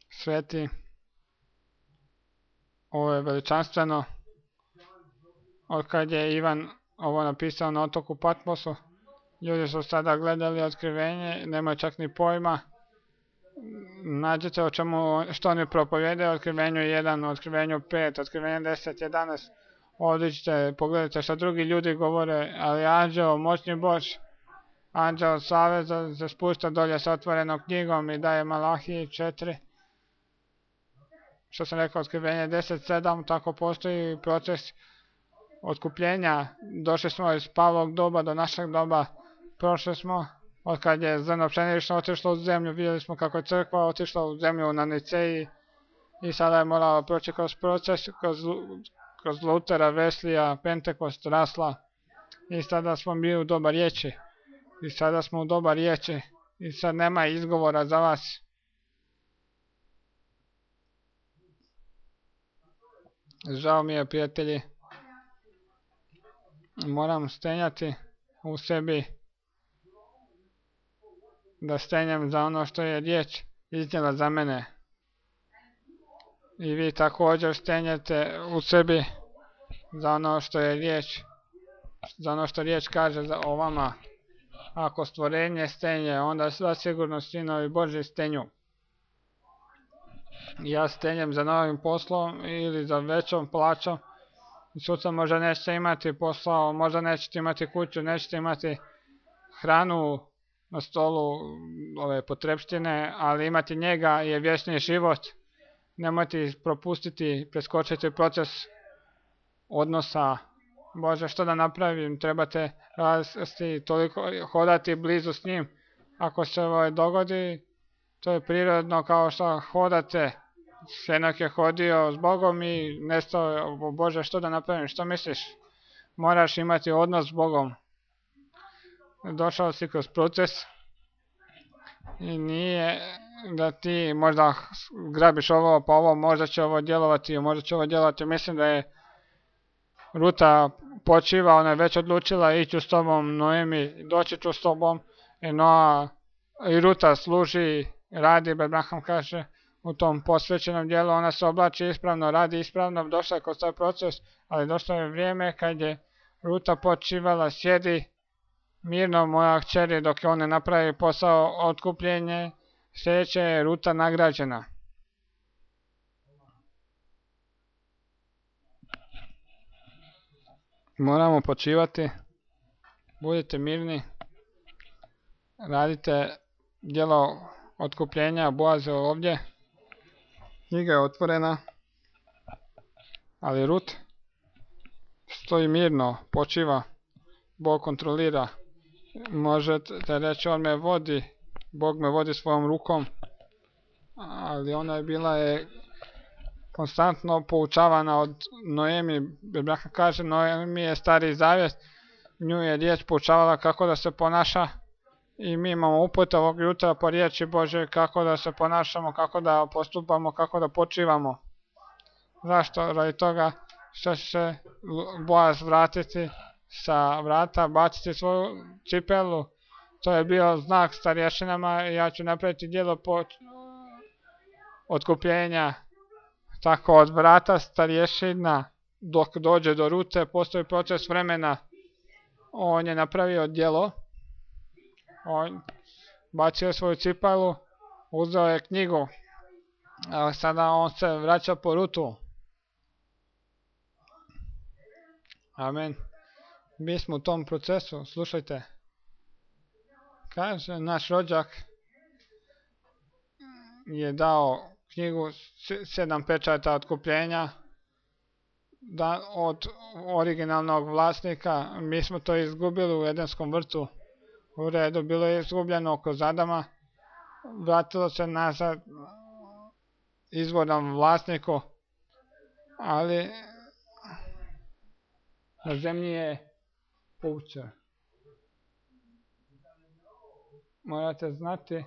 A: Sveti, ovo je veličanstveno. Od kad je Ivan ovo napisao na otoku Patmosu, ljudi su sada gledali otkrivenje, nemaju čak ni pojma. Nađete o čemu, što oni propovjedaju, otkrivenju 1, otkrivenju 5, otkrivenju 10, 11. Odiđite, pogledajte što drugi ljudi govore, ali anđeo, moćni Bož, anđeo saveza se spušta dolje sa otvorenom knjigom i daje Malahiji 4. Što sam rekao, otkrivenje 10.7, tako postoji proces otkupljenja. Došli smo iz Pavlovog doba do našeg doba, prošli smo, od kad je zrno pšenično otišlo u zemlju, vidjeli smo kako je crkva otišla u zemlju na Niceji i sada je morala proći kroz proces, kroz Lutera, Veslija, Pentekost, rasla i sada smo bili u doba riječi. I sada smo u doba riječi i sad nema izgovora za vas. Žao mi je, prijatelji, moram stenjati u sebi, da stenjem za ono što je riječ iznijela za mene. I vi također stenjete u sebi za ono što je riječ, za ono što riječ kaže o vama. Ako stvorenje stenje, onda zasigurno sinovi Božji stenju. Ja stenjem za novim poslom ili za većom plaćom. Sutra možda nećete imati posao, možda nećete imati kuću, nećete imati hranu na stolu, ove potrebštine, ali imati njega je vječni život. Nemojte propustiti, preskočiti proces odnosa. Bože, što da napravim? Trebate rasti, toliko hodati blizu s njim. Ako se ovo dogodi, to je prirodno kao što hodate. Henok je hodio s Bogom i nestao. Bože, što da napravim? Što misliš? Moraš imati odnos s Bogom. Došao si kroz proces i nije da ti možda grabiš ovo pa ovo, možda će ovo djelovati, možda će ovo djelovati. Mislim da je Ruta počiva, ona je već odlučila ići s tobom, Noemi, doći ću s tobom, i Ruta služi, radi, Abraham kaže, u tom posvećenom dijelu, ona se oblači ispravno, radi ispravno, došla je kroz taj proces, ali došlo je vrijeme kad je Ruta počivala, sjedi mirno moja kćeri dok je on ne napravi posao otkupljenje, sljedeće je Ruta nagrađena. Moramo počivati, budite mirni, radite djelo otkupljenja, Boaz je ovdje, knjiga je otvorena, ali Rut stoji mirno, počiva, Bog kontrolira. Možete reći, on me vodi, Bog me vodi svojom rukom, ali ona je bila konstantno poučavana od Noemi. Biblia kaže, Noemi je stari zavjet, nju je riječ poučavala kako da se ponaša I mi imamo uput ovog jutra po riječi Bože kako da se ponašamo, kako da postupamo, kako da počivamo. Zašto? Radi toga što će se Boaz vratiti sa vrata, baciti svoju cipelu. To je bio znak starješinama i ja ću napraviti djelo otkupljenja. Tako od vrata starješina dok dođe do rute postoji proces vremena. On je napravio djelo. On bacio svoju cipelu, uzeo je knjigu. A sada on se vraća po rutu. Amen. Mi smo u tom procesu, slušajte. Kaže, naš rođak je dao knjigu 7 pečata otkupljenja od originalnog vlasnika. Mi smo to izgubili u Edenskom vrtu. U redu, bilo je izgubljeno kroz Adama. Vratilo se nazad izvornom vlasniku, ali na zemlji je puča. Morate znati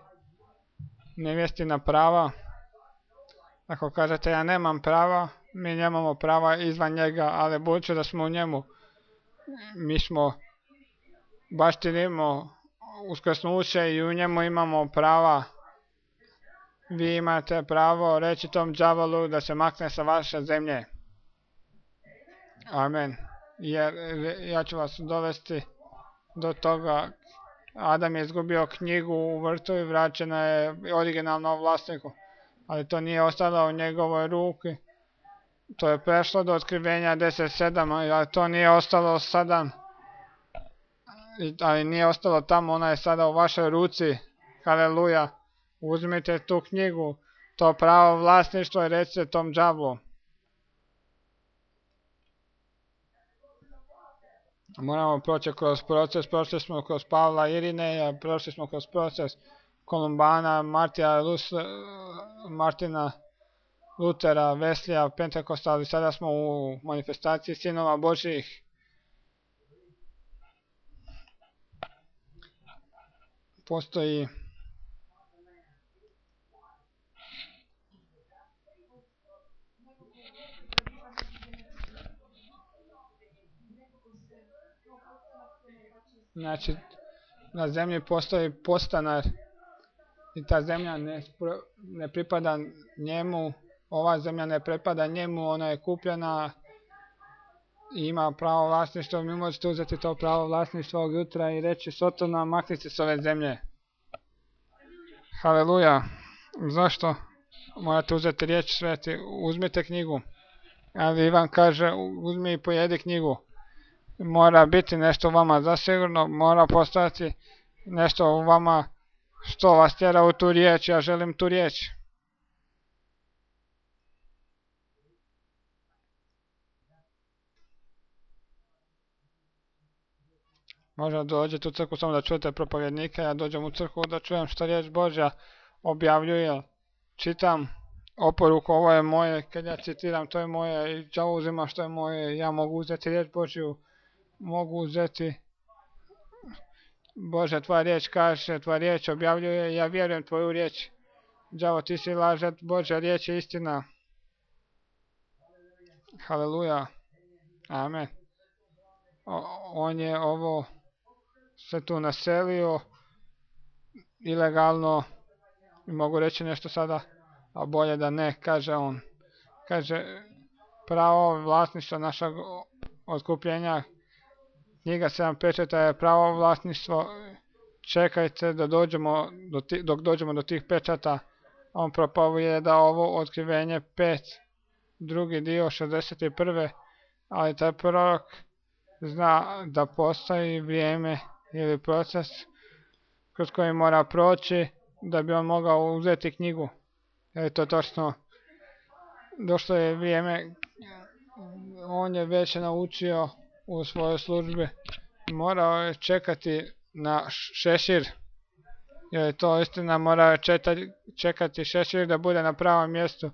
A: nevjestina prava. Ako kažete ja nemam prava, mi nemamo prava izvan njega, ali budući da smo u njemu, mi smo baštinimo uskrsnuće i u njemu imamo prava. Vi imate pravo reći tom đavolu da se makne sa vaše zemlje. Amen. Jer ja ću vas dovesti do toga. Adam je izgubio knjigu u vrtu i vraćena je originalnom vlasniku. Ali to nije ostalo u njegovoj ruki. To je prešlo do otkrivenja 10.7, ali to nije ostalo sada. Ali nije ostalo tamo, ona je sada u vašoj ruci. Haleluja. Uzmite tu knjigu, to pravo vlasništvo i recite tom đavlu. Moramo proći kroz proces, prošli smo kroz Pavla Irineja, prošli smo kroz proces Kolumbana, Martina Lutera, Veslija, Pentekosta, ali sada smo u manifestaciji sinova Božjih. Postoji znači, na zemlji postoji postanar i ta zemlja ne pripada njemu, ova zemlja ne pripada njemu, ona je kupljena i ima pravo vlasništva. Mi možete uzeti to pravo vlasništva ovog jutra i reći Sotona, makni se s ove zemlje. Haleluja. Zašto? Morate uzeti riječ sveti, uzmite knjigu. Ali Ivan kaže, uzmi i pojedi knjigu. Mora biti nešto u vama zasigurno, mora postojati nešto u vama što vas tjera u tu riječ, ja želim tu riječ. Možda dođete u crkvu samo da čujete propovjednika, ja dođem u crkvu da čujem što riječ Božja objavljuje, čitam oporuku, ovo je moje, kad ja citiram to je moje i đavo uzima što je moje, ja mogu uzeti riječ Božju, mogu uzeti Bože, tvoja riječ kaže, tvoja riječ objavljuje, ja vjerujem tvoju riječ. Đavo, ti si lažet, Božja riječ je istina. Haleluja. Amen. On je ovo se tu naselio ilegalno, mogu reći nešto sada, a bolje da ne, kaže on. Kaže, pravo vlasništvo našeg otkupljenja, knjiga 7 pečata je pravo vlasništvo, čekajte da dok dođemo do tih pečata. On propovije da ovo otkrivenje 5, drugi dio 61. Ali taj prorok zna da postoji vrijeme ili proces kroz koji mora proći da bi on mogao uzeti knjigu. Je to točno? Došlo je vrijeme, on je već naučio u svojoj službi, morao je čekati na šešir. Je to istina, mora čekati šešir da bude na pravom mjestu.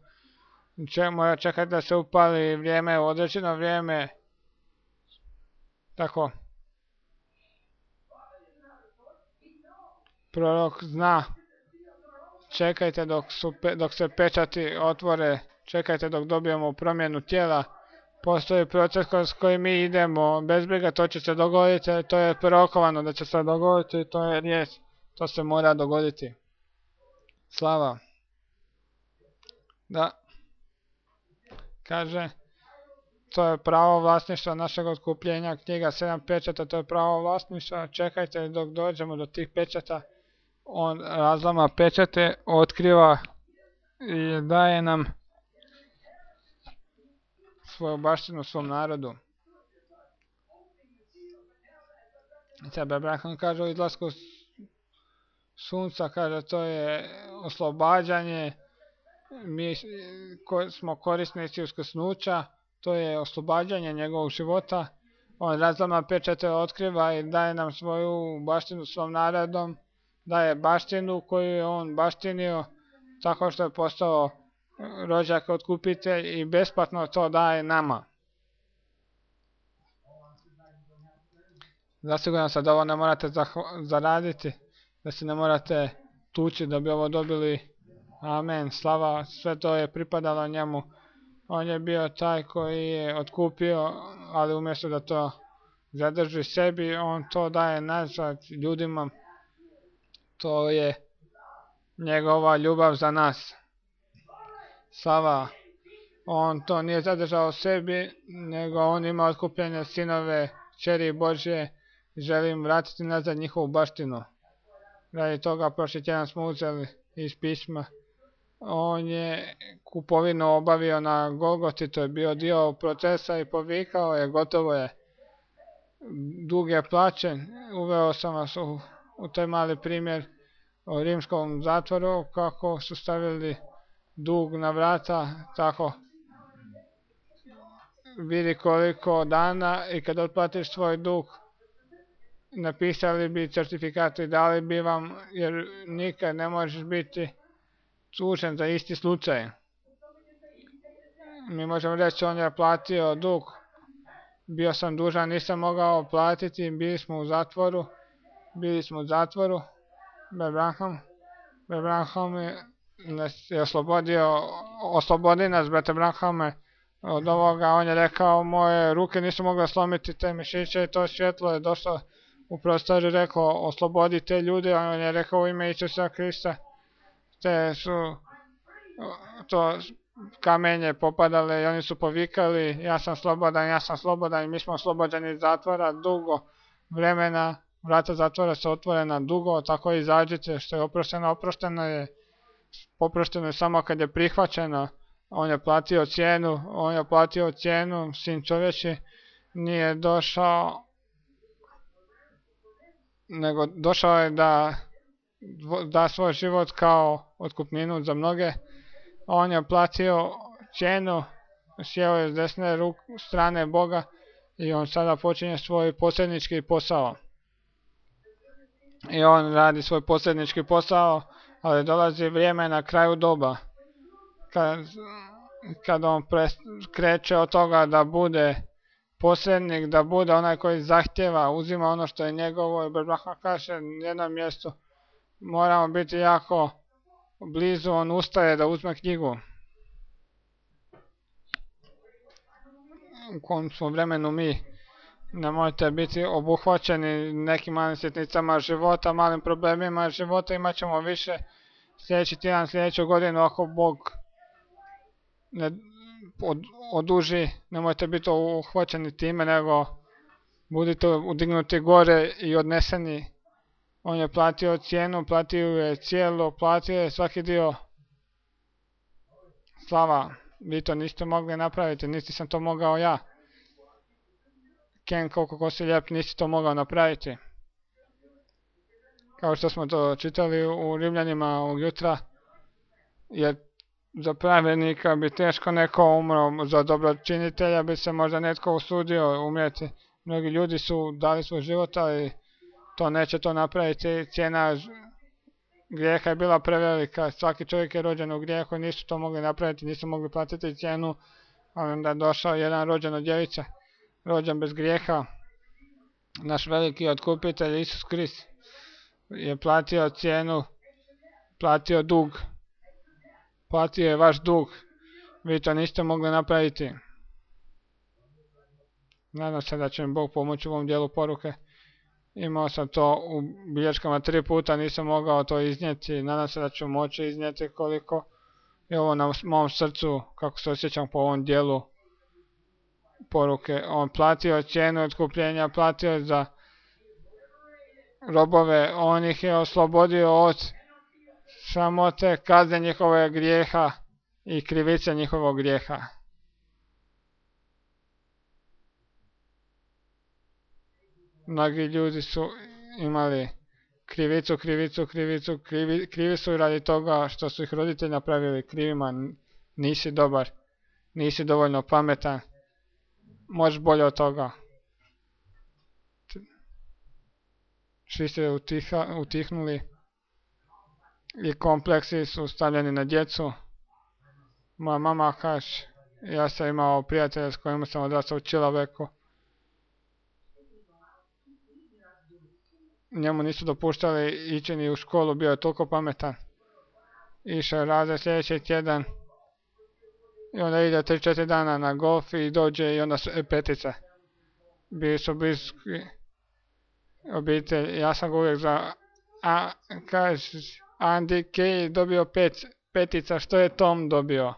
A: Mora čekati da se upali vrijeme, određeno vrijeme. Tako. Prorok zna, čekajte dok se pečati otvore, čekajte dok dobijemo promjenu tijela. Postoji proces kroz koji mi idemo, bez briga to će se dogoditi, to je prorokovano da će se dogoditi, to je riječ, to se mora dogoditi. Slava. Da. Kaže, to je pravo vlasništva našeg otkupljenja, knjiga 7 pečata, to je pravo vlasništva, čekajte dok dođemo do tih pečata. On razlama pečate, otkriva i daje nam svoju baštinu svom narodu. Sad Abraham kaže u izlasku sunca, kaže to je oslobađanje, mi smo korisnici uskrsnuća, to je oslobađanje njegovog života. On razlama pečate, otkriva i daje nam svoju baštinu svom narodom, daje baštinu koju je on baštinio tako što je postao rođak otkupitelj i besplatno to daje nama. Zasigurno sad ovo ne morate zaraditi, da se ne morate tući da bi ovo dobili. Amen, slava, sve to je pripadalo njemu. On je bio taj koji je otkupio, ali umjesto da to zadrži sebi, on to daje nazad ljudima. To je njegova ljubav za nas. Slava, on to nije zadržao sebi, nego on ima otkupljene sinove, kćeri Božje, želim vratiti nazad njihovu baštinu. Radi toga prošli tjedan smo uzeli iz pisma. On je kupovinu obavio na Golgoti, to je bio dio procesa i povikao je, gotovo je. Dug je plaćen, uveo sam vas u taj mali primjer o rimskom zatvoru, kako su stavili dug na vrata, tako vidi koliko dana i kad otplatiš svoj dug, napisali bi certifikat i dali bi vam, jer nikad ne možeš biti tužen za isti slučaj. Mi možemo reći on je platio dug, bio sam dužan, nisam mogao platiti, bili smo u zatvoru, Abraham nas je oslobodi nas, brate Abrahame, od ovoga. On je rekao, moje ruke nisu mogle slomiti te mišiće i to svjetlo je došlo u prostor i rekao, oslobodi te ljude. On je rekao u ime Isusa Krista, te su to kamenje popadale i oni su povikali, ja sam slobodan i mi smo oslobođeni iz zatvora dugo vremena, vrata zatvora su otvorena dugo, tako izađite, što je oprošteno je, poprošteno je samo kad je prihvaćeno. On je platio cijenu, sin čovječi nije došao, nego došao je da svoj život kao otkupninu za mnoge. On je platio cijenu, sjeo je s desne strane Boga i on sada počinje svoj posrednički posao. I on radi svoj posrednički posao, ali dolazi vrijeme na kraju doba, kad on kreće od toga da bude posrednik, da bude onaj koji zahtjeva, uzima ono što je njegovo. I Abraham kaže na jednom mjestu, moramo biti jako blizu, on ustaje da uzme knjigu. U kom smo vremenu mi, nemojte biti obuhvaćeni nekim malim sitnicama života, malim problemima života, imat ćemo više sljedeći tjedan, sljedeću godinu, ako Bog ne oduži, nemojte biti uhvaćeni time, nego budite udignuti gore i odneseni. On je platio cijenu, platio je cijelo, platio je svaki dio. Slava, vi to niste mogli napraviti, niti sam to mogao ja. Ken, koliko si lijep, nisi to mogao napraviti. Kao što smo to čitali u Rimljanima ovog jutra, jer za pravednika bi teško neko umro, za dobročinitelja bi se možda netko usudio umrijeti. Mnogi ljudi su dali svoj život, ali to neće to napraviti. Cijena grijeha je bila prevelika, svaki čovjek je rođen u grijehu, nisu to mogli napraviti, nisu mogli platiti cijenu. Onda je došao jedan rođen od djevice, rođen bez grijeha, naš veliki otkupitelj Isus Krist. je platio cijenu, platio dug, platio je vaš dug, vi to niste mogli napraviti. Nadam se da će mi Bog pomoći u ovom dijelu poruke. Imao sam to u bilješkama 3 puta, nisam mogao to iznijeti. Nadam se da ću moći iznijeti koliko je ovo na mom srcu, kako se osjećam po ovom dijelu poruke. On platio cijenu otkupljenja, platio za robove, on ih je oslobodio od samote, kazne njihove grijeha i krivice njihovog grijeha. Mnogi ljudi su imali krivi su radi toga što su ih roditelji napravili krivima. Nisi dobar, nisi dovoljno pametan, možeš bolje od toga. Svi ste utihnuli i kompleksi su stavljeni na djecu. Moja mama kaže, ja sam imao prijatelja s kojim sam odrastao u Čilabeku. Njemu nisu dopuštali ići ni u školu, bio je toliko pametan. Išao je razred sljedeći tjedan i onda ide 3-4 dana na golf i dođe i onda su petice. Bili su bliski obitelj. Ja sam ga uvijek kaže, Andy Kay dobio petica, što je Tom dobio?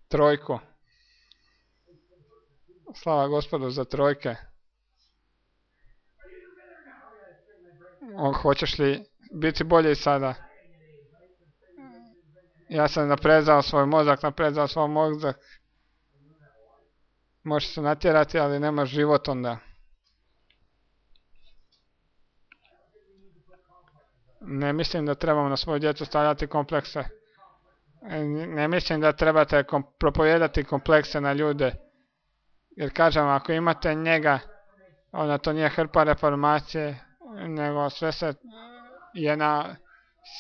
A: Trojku. Slava Gospodu za trojke. Hoćeš li biti bolji sada? Ja sam naprezao svoj mozak. Možeš se natjerati, ali nemaš život onda. Ne mislim da trebamo na svoju djecu stavljati komplekse. Ne mislim da trebate propovijedati komplekse na ljude. Jer kažem, ako imate njega, onda to nije hrpa reformacije, nego sve se je na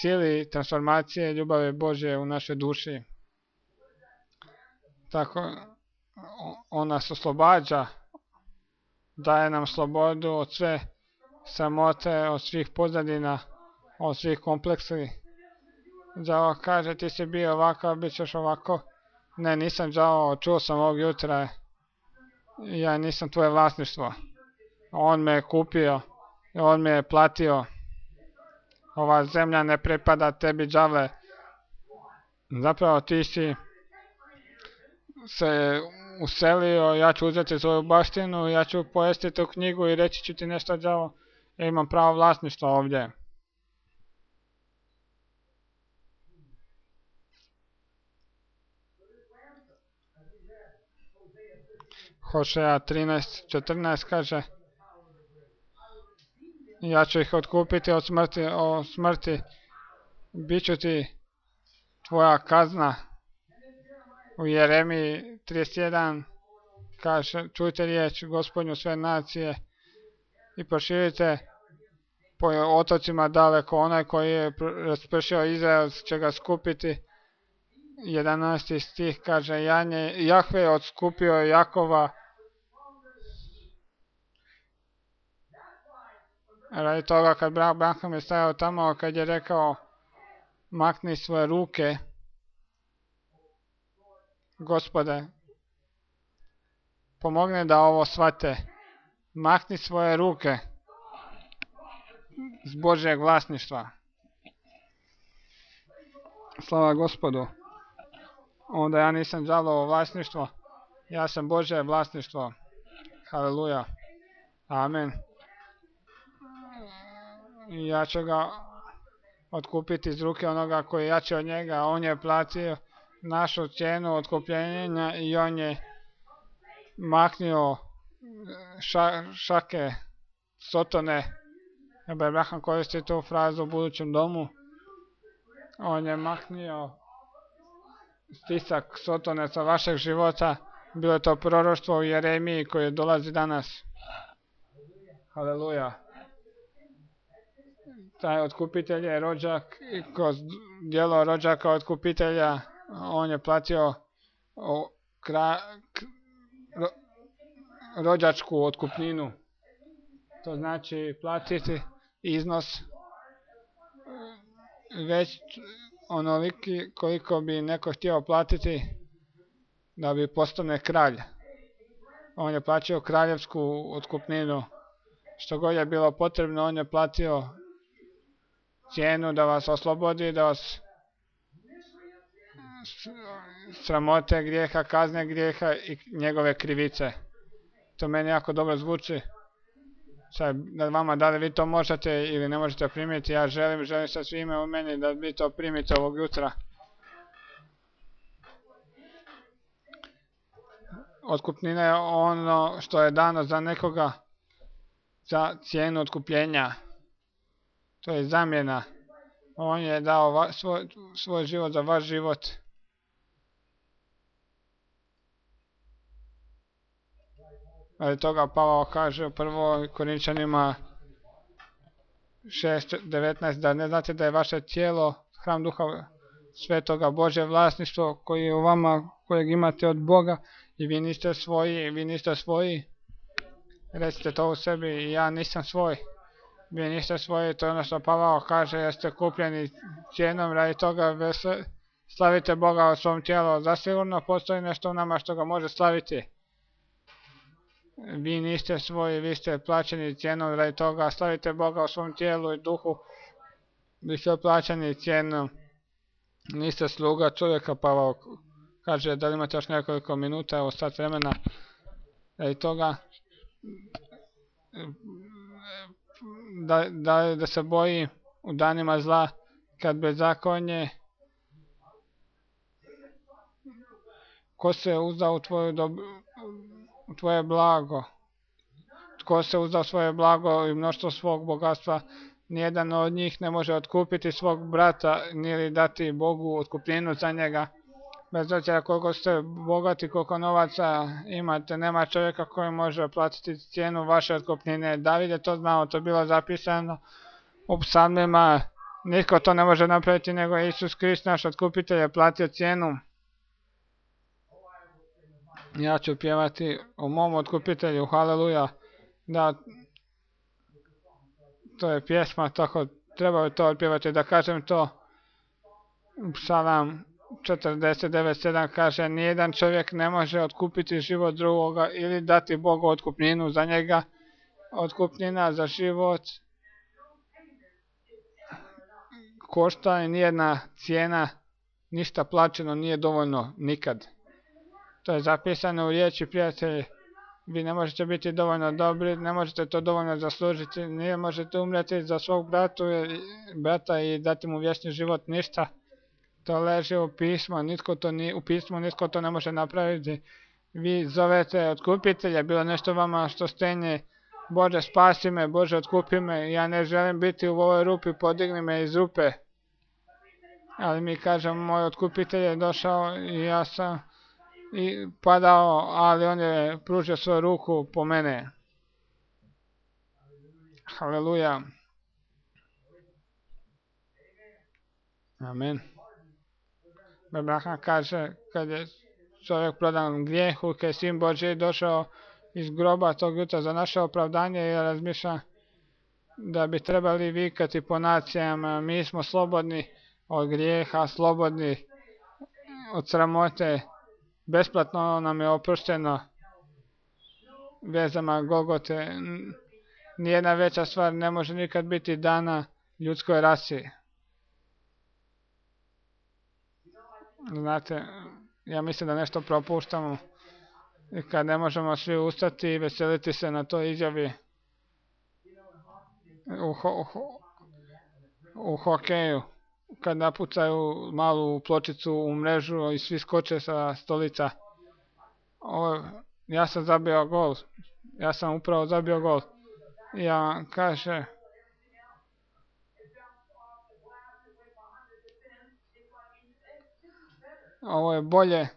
A: sili transformacije ljubavi Božje u našoj duši. Tako, on nas oslobađa, daje nam slobodu od sve samote, od svih pozadina, od svih kompleksi. Đavo kaže, ti si bio ovako, bit ćeš ovako. Ne, nisam đavo, čuo sam ovog jutra, ja nisam tvoje vlasništvo. On me je kupio, on me je platio. Ova zemlja ne pripada tebi, đavle. Zapravo ti si se uselio, ja ću uzeti svoju baštinu, ja ću pojesti tu knjigu i reći ću ti nešto, đavo. Ja imam pravo vlasništva ovdje. Hošeja 13:14 kaže, ja ću ih otkupiti od smrti, bit ću ti tvoja kazna. U Jeremiji 31 kaže, čujte riječ Gospodnju sve nacije i proširite po otocima daleko, onaj koji je raspršio Izrael će ga skupiti. 11. stih kaže, Jahve je odskupio Jakova radi toga kad Abraham je stajao tamo, kad je rekao makni svoje ruke, Gospode, pomogne da ovo shvate, makni svoje ruke s Božjeg vlasništva. Slava Gospodu. Onda ja nisam đavlovo vlasništvo, ja sam Božje vlasništvo. Haleluja. Amen. Ja ću ga otkupiti iz ruke onoga koji je jači od njega. On je platio našu cijenu otkupljenja i on je maknio šake Sotone. Abraham koristi tu frazu u budućem domu. On je maknio stisak Sotone sa vašeg života. Bilo je to proroštvo u Jeremiji koje dolazi danas. Haleluja. Taj otkupitelj je rođak i kroz djelo rođaka otkupitelja on je platio rođačku otkupninu. to znači platiti iznos već onoliki koliko bi neko htio platiti da bi postane kralj. On je plaćao kraljevsku otkupninu. Što god je bilo potrebno, on je platio cijenu da vas oslobodi, da vas sramote grijeha, kazne grijeha i njegove krivice. To meni jako dobro zvuči. Sad, da vama, da li vi to možete ili ne možete primiti, ja želim sa svime u meni da vi to primite ovog jutra. Otkupnina je ono što je dano za nekoga za cijenu otkupljenja. To je zamjena. On je dao svoj život za vaš život. Ali toga Pavao kaže u 1. Korinčanima 6:19 da ne znate da je vaše tijelo hram Duha Svetoga, Božje vlasništvo koji je u vama, kojeg imate od Boga i vi niste svoji. Recite to u sebi, i ja nisam svoj. Vi niste svoji, to je ono što Pavao kaže, jeste kupljeni cijenom, radi toga slavite Boga u svom tijelu. Zasigurno postoji nešto u nama što ga može slaviti. Vi niste svoji, vi ste plaćeni cijenom, radi toga slavite Boga u svom tijelu i duhu. Vi ste plaćeni cijenom. Niste sluga čovjeka, Pavao kaže. Da li imate još nekoliko minuta, evo sat vremena. Radi toga da se boji u danima zla, kad bezakonje, ko se uzda u tvoje blago, tko se uzda svoje blago i mnoštvo svog bogatstva, nijedan od njih ne može otkupiti svog brata ili dati Bogu otkupninu za njega. Bez obzira koliko ste bogati, koliko novaca imate, nema čovjeka koji može platiti cijenu vaše otkupnine. David je to znao, to je bilo zapisano u psalmima. Nitko to ne može napraviti nego Isus Krist, naš otkupitelj, je platio cijenu. Ja ću pjevati o mom otkupitelju, haleluja. Da, to je pjesma, tako treba to otpjevati, da kažem to. Psalam 49:7 kaže, nijedan čovjek ne može otkupiti život drugoga ili dati Bogu otkupninu za njega. Otkupnina za život košta i nijedna cijena, ništa plaćeno nije dovoljno nikad. To je zapisano u riječi, prijatelji. Vi ne možete biti dovoljno dobri, ne možete to dovoljno zaslužiti, ne možete umreti za svog brata i dati mu vječni život, ništa. To leži u pismu, nitko to ne može napraviti. Vi zovete otkupitelja, bilo nešto vama što stenje, Bože spasi me, Bože otkupi me, ja ne želim biti u ovoj rupi, podigni me iz rupe. Ali mi kažemo, moj otkupitelj je došao i ja sam padao, ali on je pružio svoju ruku po mene. Haleluja. Amen. Abraham kaže, kad je čovjek prodan grijehu, kad je Sin Božji došao iz groba tog jutra za naše opravdanje, i razmišlja da bi trebali vikati po nacijama, mi smo slobodni od grijeha, slobodni od sramote, besplatno nam je oprošteno vezama Golgote. Nijedna veća stvar ne može nikad biti dana ljudskoj rasi. Znate, ja mislim da nešto propuštamo i kad ne možemo svi ustati i veseliti se na toj izjavi u hokeju, kad napucaju malu pločicu u mrežu i svi skoče sa stolica. Ja sam zabio gol. Ja sam upravo zabio gol. Ja kaže, ovo je bolje.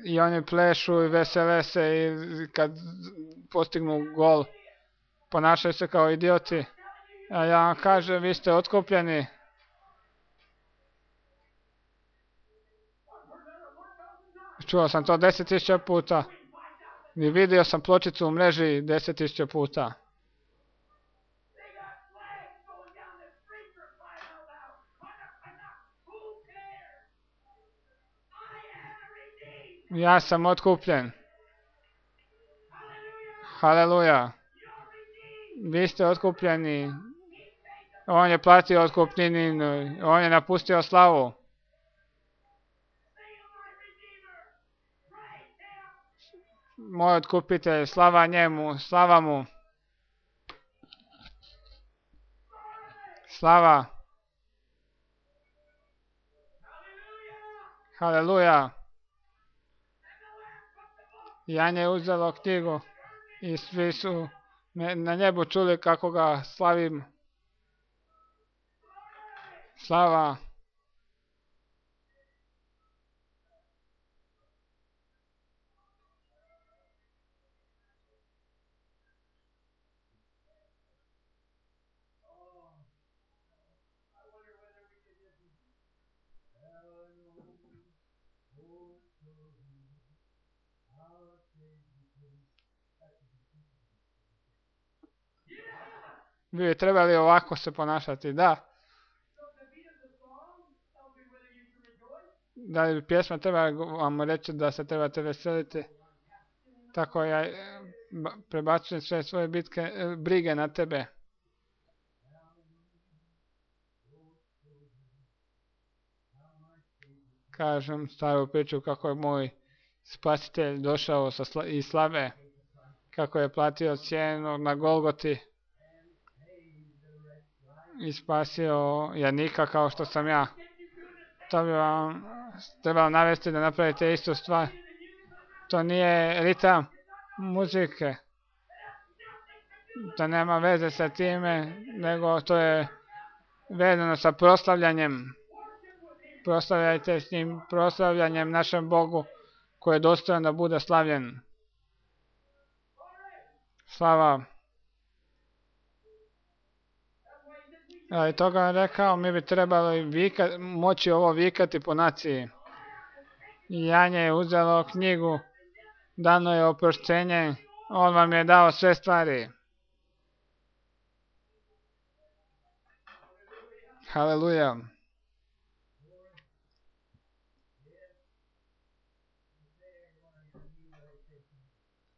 A: I oni plešu i vesele se i kad postignu gol ponašaju se kao idioti. A ja vam kažem, vi ste otkupljeni. Čuo sam to 10.000 puta. I vidio sam pločicu u mreži 10.000 puta. Ja sam otkupljen. Haleluja. Vi ste otkupljeni. On je platio otkupninu. On je napustio slavu. Moj otkupitelj, slava njemu, slava mu. Slava. Haleluja. Jan je uzelo knjigu i svi su na nebu čuli kako ga slavim. Slava. Vi bi trebali ovako se ponašati, da. Da li pjesma treba vam reći da se trebate veseliti? Tako ja prebacujem sve svoje brige na tebe. Kažem staru priču kako je moj spasitelj došao iz slave, kako je platio cijenu na Golgoti i spasio jadnika kao što sam ja. To bi vam trebalo navesti da napravite istu stvar. To nije ritam muzike. To nema veze sa time, nego to je vezano sa proslavljanjem. Proslavljajte s njim, proslavljanjem našem Bogu koji je dostojan da bude slavljen. Slava. I toga je rekao, mi bi trebali moći ovo vikati po naciji. Janje je uzelo knjigu, dano je oproštenje, on vam je dao sve stvari. Haleluja.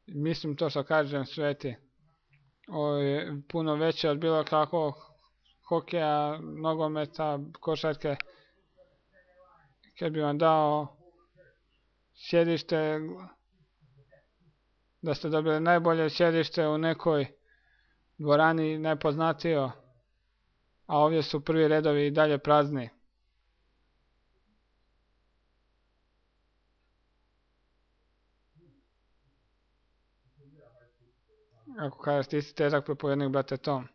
A: Mislim to što kažem sveti. Ovo je puno veće od bilo kakvog hokeja, nogometa, košarke. Kad bi vam dao sjedište, da ste dobili najbolje sjedište u nekoj dvorani najpoznatijoj, a ovdje su prvi redovi i dalje prazni. Ako kažeš ti si težak propovjednik, brate Tom.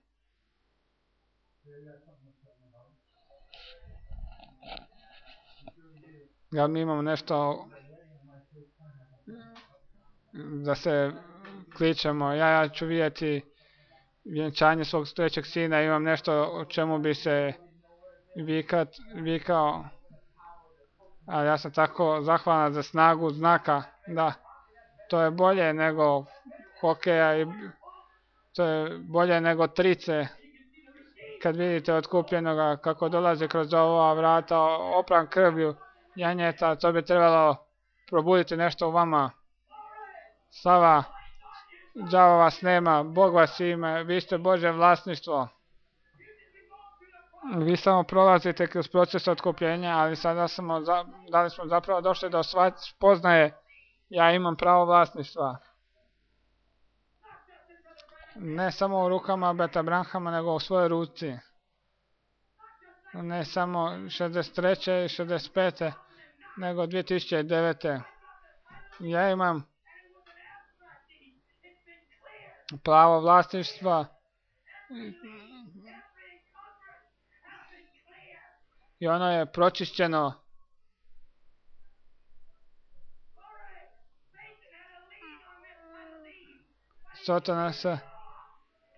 A: Ja mi imamo nešto da se kličemo. Ja ću vidjeti vjenčanje svog trećeg sina, imam nešto o čemu bi se vikao. Ali ja sam tako zahvalan za snagu znaka, da. To je bolje nego hokeja i to je bolje nego trice. Kad vidite otkupljenoga kako dolazi kroz ova vrata opran krvlju janjeta, to bi trebalo probuditi nešto u vama. Slava, đavo vas nema, Bog vas ima, vi ste Božje vlasništvo. Vi samo prolazite kroz proces otkupljenja, ali sada da li smo zapravo došli do spoznaje, ja imam pravo vlasništva. Ne samo u rukama Brata Branhama, nego u svojoj ruci. Ne samo 63. i 65. nego 2009. Ja imam pravo vlasništva i ono je pročišćeno. Sotona se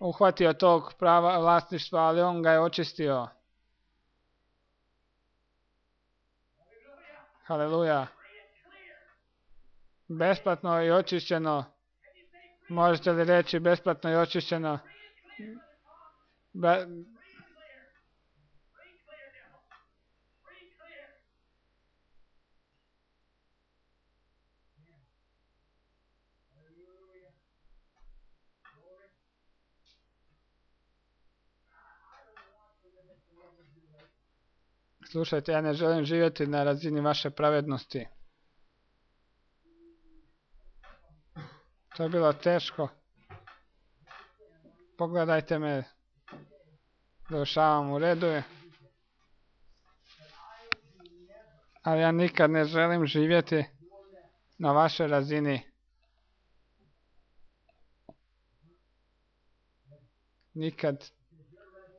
A: uhvatio tog prava vlasništva, ali on ga je očistio. Haleluja. Besplatno i očišćeno. Možete li reći besplatno i očišćeno? Slušajte, ja ne želim živjeti na razini vaše pravednosti. To je bilo teško. Pogledajte me. Završavam, u redu je. Ali ja nikad ne želim živjeti na vašoj razini. Nikad.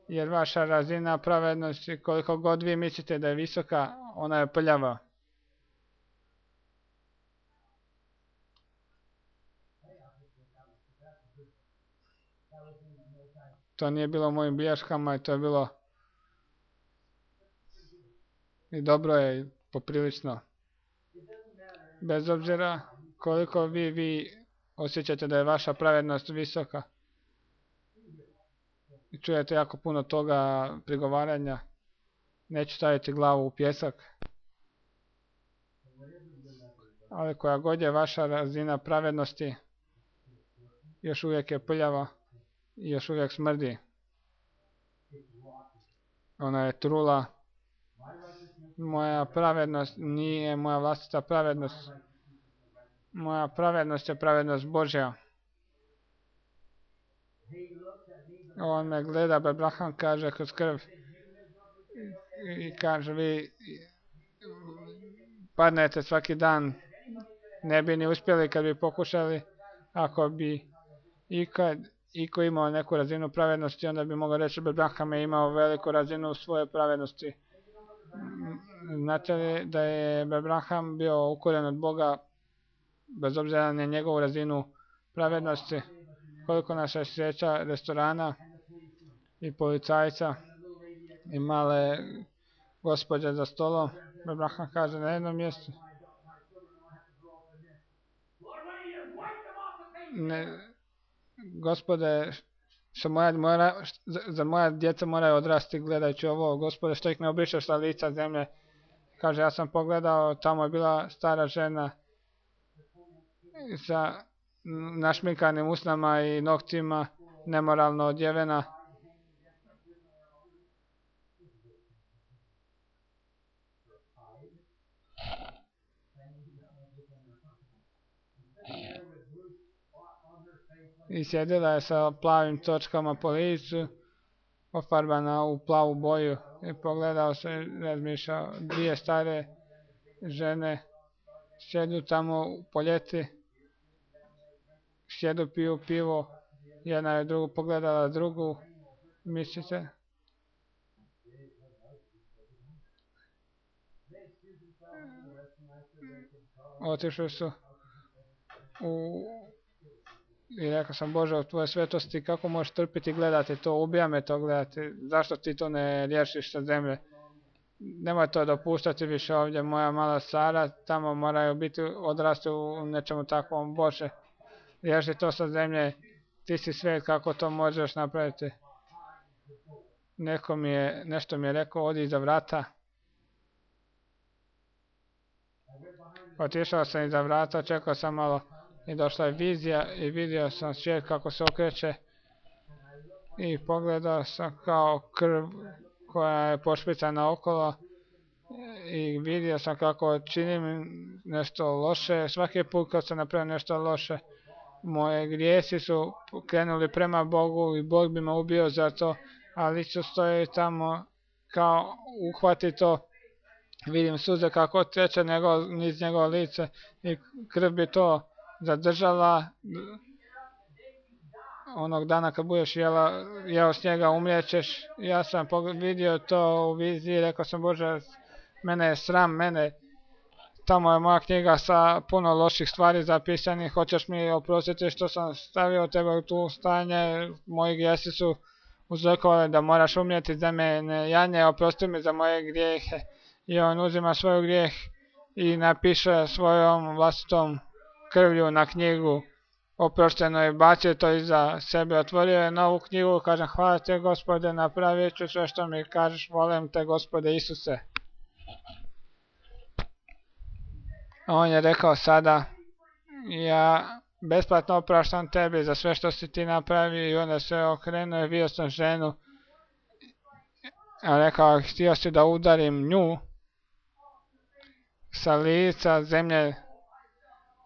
A: Jer vaša razina pravednosti, koliko god vi mislite da je visoka, ona je prljava. To nije bilo u mojim bilješkama i to je bilo i dobro je i poprilično. Bez obzira koliko vi osjećate da je vaša pravednost visoka i čujete jako puno toga prigovaranja, neću staviti glavu u pjesak. Ali koja god je vaša razina pravednosti, još uvijek je prljava i još uvijek smrdi. Ona je trula. Moja pravednost nije moja vlastita pravednost. Moja pravednost je pravednost Božja. On me gleda, Abraham kaže kroz krv i kaže vi padnete svaki dan. Ne bi ni uspjeli kad bi pokušali. Ako bi iko imao neku razinu pravednosti, onda bi mogao reći da Abraham je imao veliku razinu svoje pravednosti. Znate li da je Abraham bio ukoren od Boga bez obzira na njegovu razinu pravednosti? Koliko naša sreća restorana i policajca i male gospođe za stolom. Abraham kaže na jednom mjestu: Gospode, za moja djeca moraju odrasti gledajući ovo. Gospode, što ih ne obrišeš sa lica zemlje? Kaže, ja sam pogledao, tamo je bila stara žena sa našminkanim usnama i noktima, nemoralno odjevena. I sjedila je sa plavim točkama po licu, ofarbana u plavu boju. I pogledao se, razmišljao, dvije stare žene sjedu tamo po ljeti, sjedu, piju pivo, jedna je drugu pogledala drugu, mislite? Otišli su i rekao sam: Bože, u tvoje svetosti, kako možeš trpiti gledati to, ubija me to gledati, zašto ti to ne riješiš sa zemlje? Nemoj to dopuštati više ovdje, moja mala Sara, tamo moraju biti odrasti u nečemu takvom. Bože, riješi to sa zemlje, ti si svijet, kako to možeš napraviti? Nešto mi je rekao, odi iza vrata. Otišao sam iza vrata, čekao sam malo i došla je vizija i vidio sam svijet kako se okreće i pogledao sam kao krv koja je pošpricana okolo i vidio sam kako činim nešto loše. Svaki put kad sam napravio nešto loše, moje grijesi su krenuli prema Bogu i Bog bi me ubio za to, ali Isus stoji tamo kao uhvati to. Vidim suze kako teče niz njegovo lice i krv bi to zadržala. Onog dana kad budeš jeo s njega, umrijećeš. Ja sam vidio to u viziji i rekao sam: Bože, mene je sram, tamo je moja knjiga sa puno loših stvari zapisanih, hoćeš mi oprostiti što sam stavio tebe u tu stanje, moji grijesi su uzrokovali da moraš umrijeti za mene, Janje, oprosti mi za moje grijehe. I on uzima svoj grijeh i napiše svojom vlastitom krvlju na knjigu oprošteno i bacio to iza sebe, otvorio je novu knjigu, kažem hvala te Gospode, napravit ću sve što mi kažeš, volim te Gospode Isuse. On je rekao sada, ja besplatno opraštam tebi za sve što si ti napravio, i onda se okrenuo i vidio sam ženu, a rekao, htio si da udarim nju sa lica zemlje.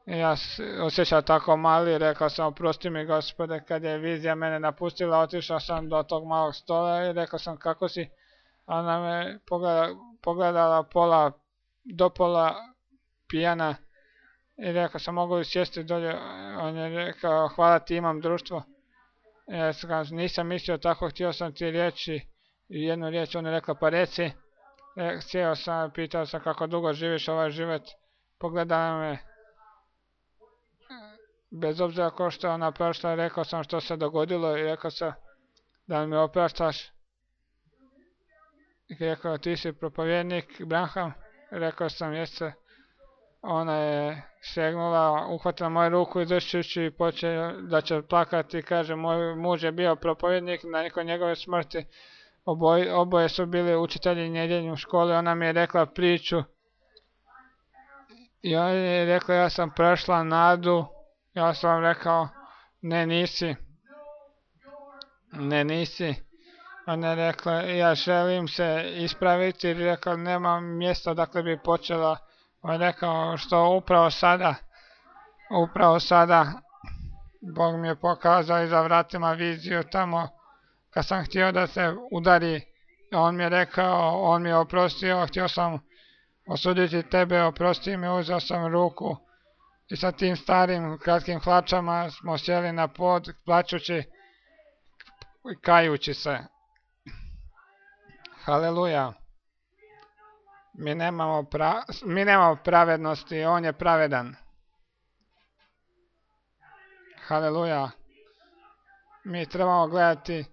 A: Ja osjećao tako mali, rekao sam oprosti mi Gospode, kad je vizija mene napustila, otišao sam do tog malog stola i rekao sam kako si, ona me pogledala do pola pijana i rekao sam mogu li sjesti dolje, on je rekao hvala ti imam društvo. Ja sam, nisam mislio tako, htio sam ti reći jednu riječ, on je rekao pa reci. Sjeo sam, pitao sam kako dugo živiš ovaj život, pogledala me, bez obzira ko što je ona prošla, rekao sam što se dogodilo i rekao sam da mi opraštaš. I rekao ti si propovjednik Branham, rekao sam jeste. Ona je šegnula, uhvatila moju ruku i dršćući počeo da će plakati i kaže moj muž je bio propovjednik nakon njegove smrti. Oboje su bili učitelji nedjeljne u školi, ona mi je rekla priču i ona je rekla ja sam prošla nadu, ja sam vam rekao ne nisi, ona je rekla ja želim se ispraviti i rekla nemam mjesta dakle bi počela, on je rekao što upravo sada Bog mi je pokazao iza vratima viziju tamo kad sam htio da se udari, on mi je rekao, on mi je oprostio, htio sam osuditi tebe, oprosti mi, uzeo sam ruku i sa tim starim kratkim hlačama smo sjeli na pod, plačući i kajući se. Haleluja. Mi nemamo pravednosti, on je pravedan. Haleluja. Mi trebamo gledati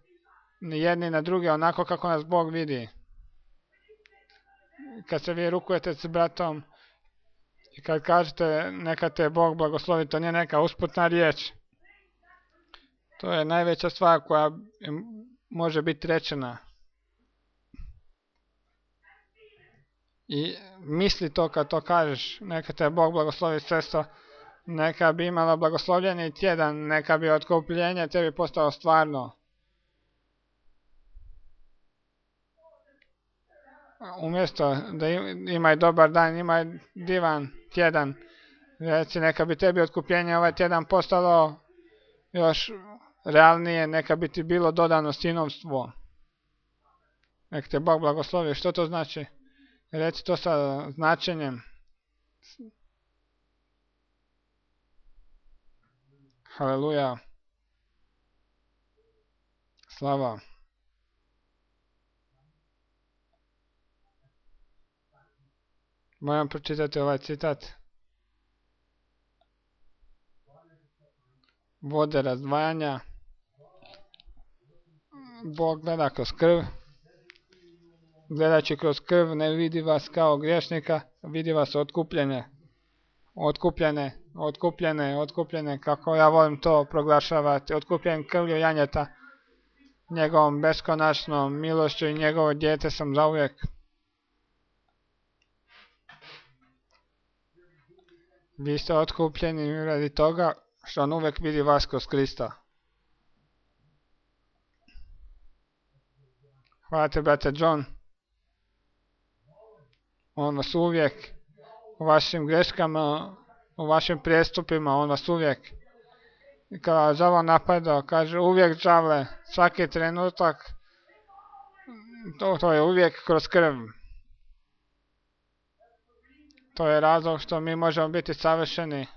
A: jedni na druge onako kako nas Bog vidi. Kad se vi rukujete s bratom i kad kažete neka te Bog blagoslovi, to nije neka usputna riječ. To je najveća stvar koja može biti rečena. I misli to kad to kažeš, neka te Bog blagoslovi sestro, neka bi imala blagoslovljeni tjedan, neka bi otkupljenje tebi postalo stvarno. Umjesto da imaj dobar dan, imaj divan tjedan. Reci, neka bi tebi otkupljenje ovaj tjedan postalo još realnije, neka bi ti bilo dodano sinovstvo. Nek te Bog blagoslovi. Što to znači? Reci to sa značenjem. Haleluja. Slava. Moram pročitati ovaj citat. Vode razdvajanja. Bog gleda kroz krv. Gledajući kroz krv ne vidi vas kao griješnika, vidi vas otkupljene, kako ja volim to proglašavati, otkupljen krvlju janjeta, njegovom beskonačnom milošću i njegovo dijete sam zauvijek. Vi ste otkupljeni radi toga što on uvijek vidi vas kroz Krista. Hvala te, brate John. On vas uvijek u vašim greškama, u vašim prijestupima, on vas uvijek. I kada đavo napadao, kaže uvijek đavle, svaki trenutak, to je uvijek kroz krv. To je razlog što mi možemo biti savršeni.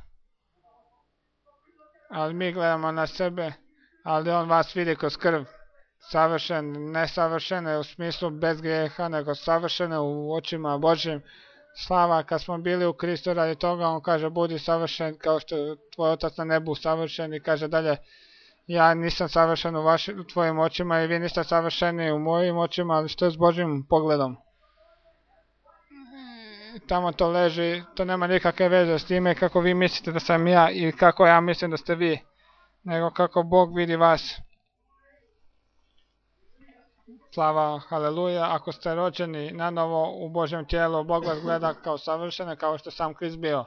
A: Ali mi gledamo na sebe, ali on vas vidi kroz krv. Savršen, nesavršene u smislu bez grijeha, nego savršene u očima Božjim. Slava, kad smo bili u Kristu radi toga, on kaže budi savršen kao što je tvoj otac na nebu savršen i kaže dalje ja nisam savršen u tvojim očima i vi niste savršeni u mojim očima, ali što je s Božjim pogledom? tamo to leži, to nema nikakve veze s time kako vi mislite da sam ja i kako ja mislim da ste vi, nego kako Bog vidi vas. Slava, haleluja, ako ste rođeni na novo u Božjem tijelu, Bog vas gleda kao savršene, kao što sam Krist bio.